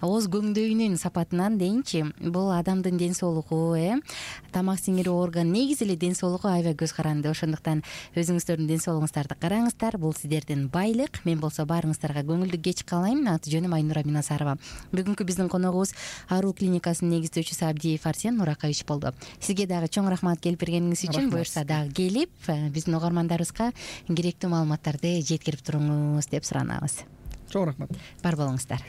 ооз көңдөйүнүн сапатынан дейинчи, бул адамдын ден соолугу, тамак сиңирүү орган, негизи эле ден соолугу аябай көз каранды. Ошондуктан өзүңүздөрдүн ден соолугуңуздарды караңыздар. Бул сиздердин байлык. Мен болсо баарыңыздарга көңүлдүү кеч каалайм. Аты жөнүм Айнура Минасарова. Бүгүнкү биздин коногубуз Аруу клиникасынын негиздөөчүсү Абдиев Арсен Нуракович болду. Сизге дагы чоң рахмат келип бергениңиз үчүн. Буюрса дагы келип биздин угармандарыбызга керектүү маалыматтарды жеткирип туруңуз деп суранабыз. Чоң рахмат. Бар болуңуздар.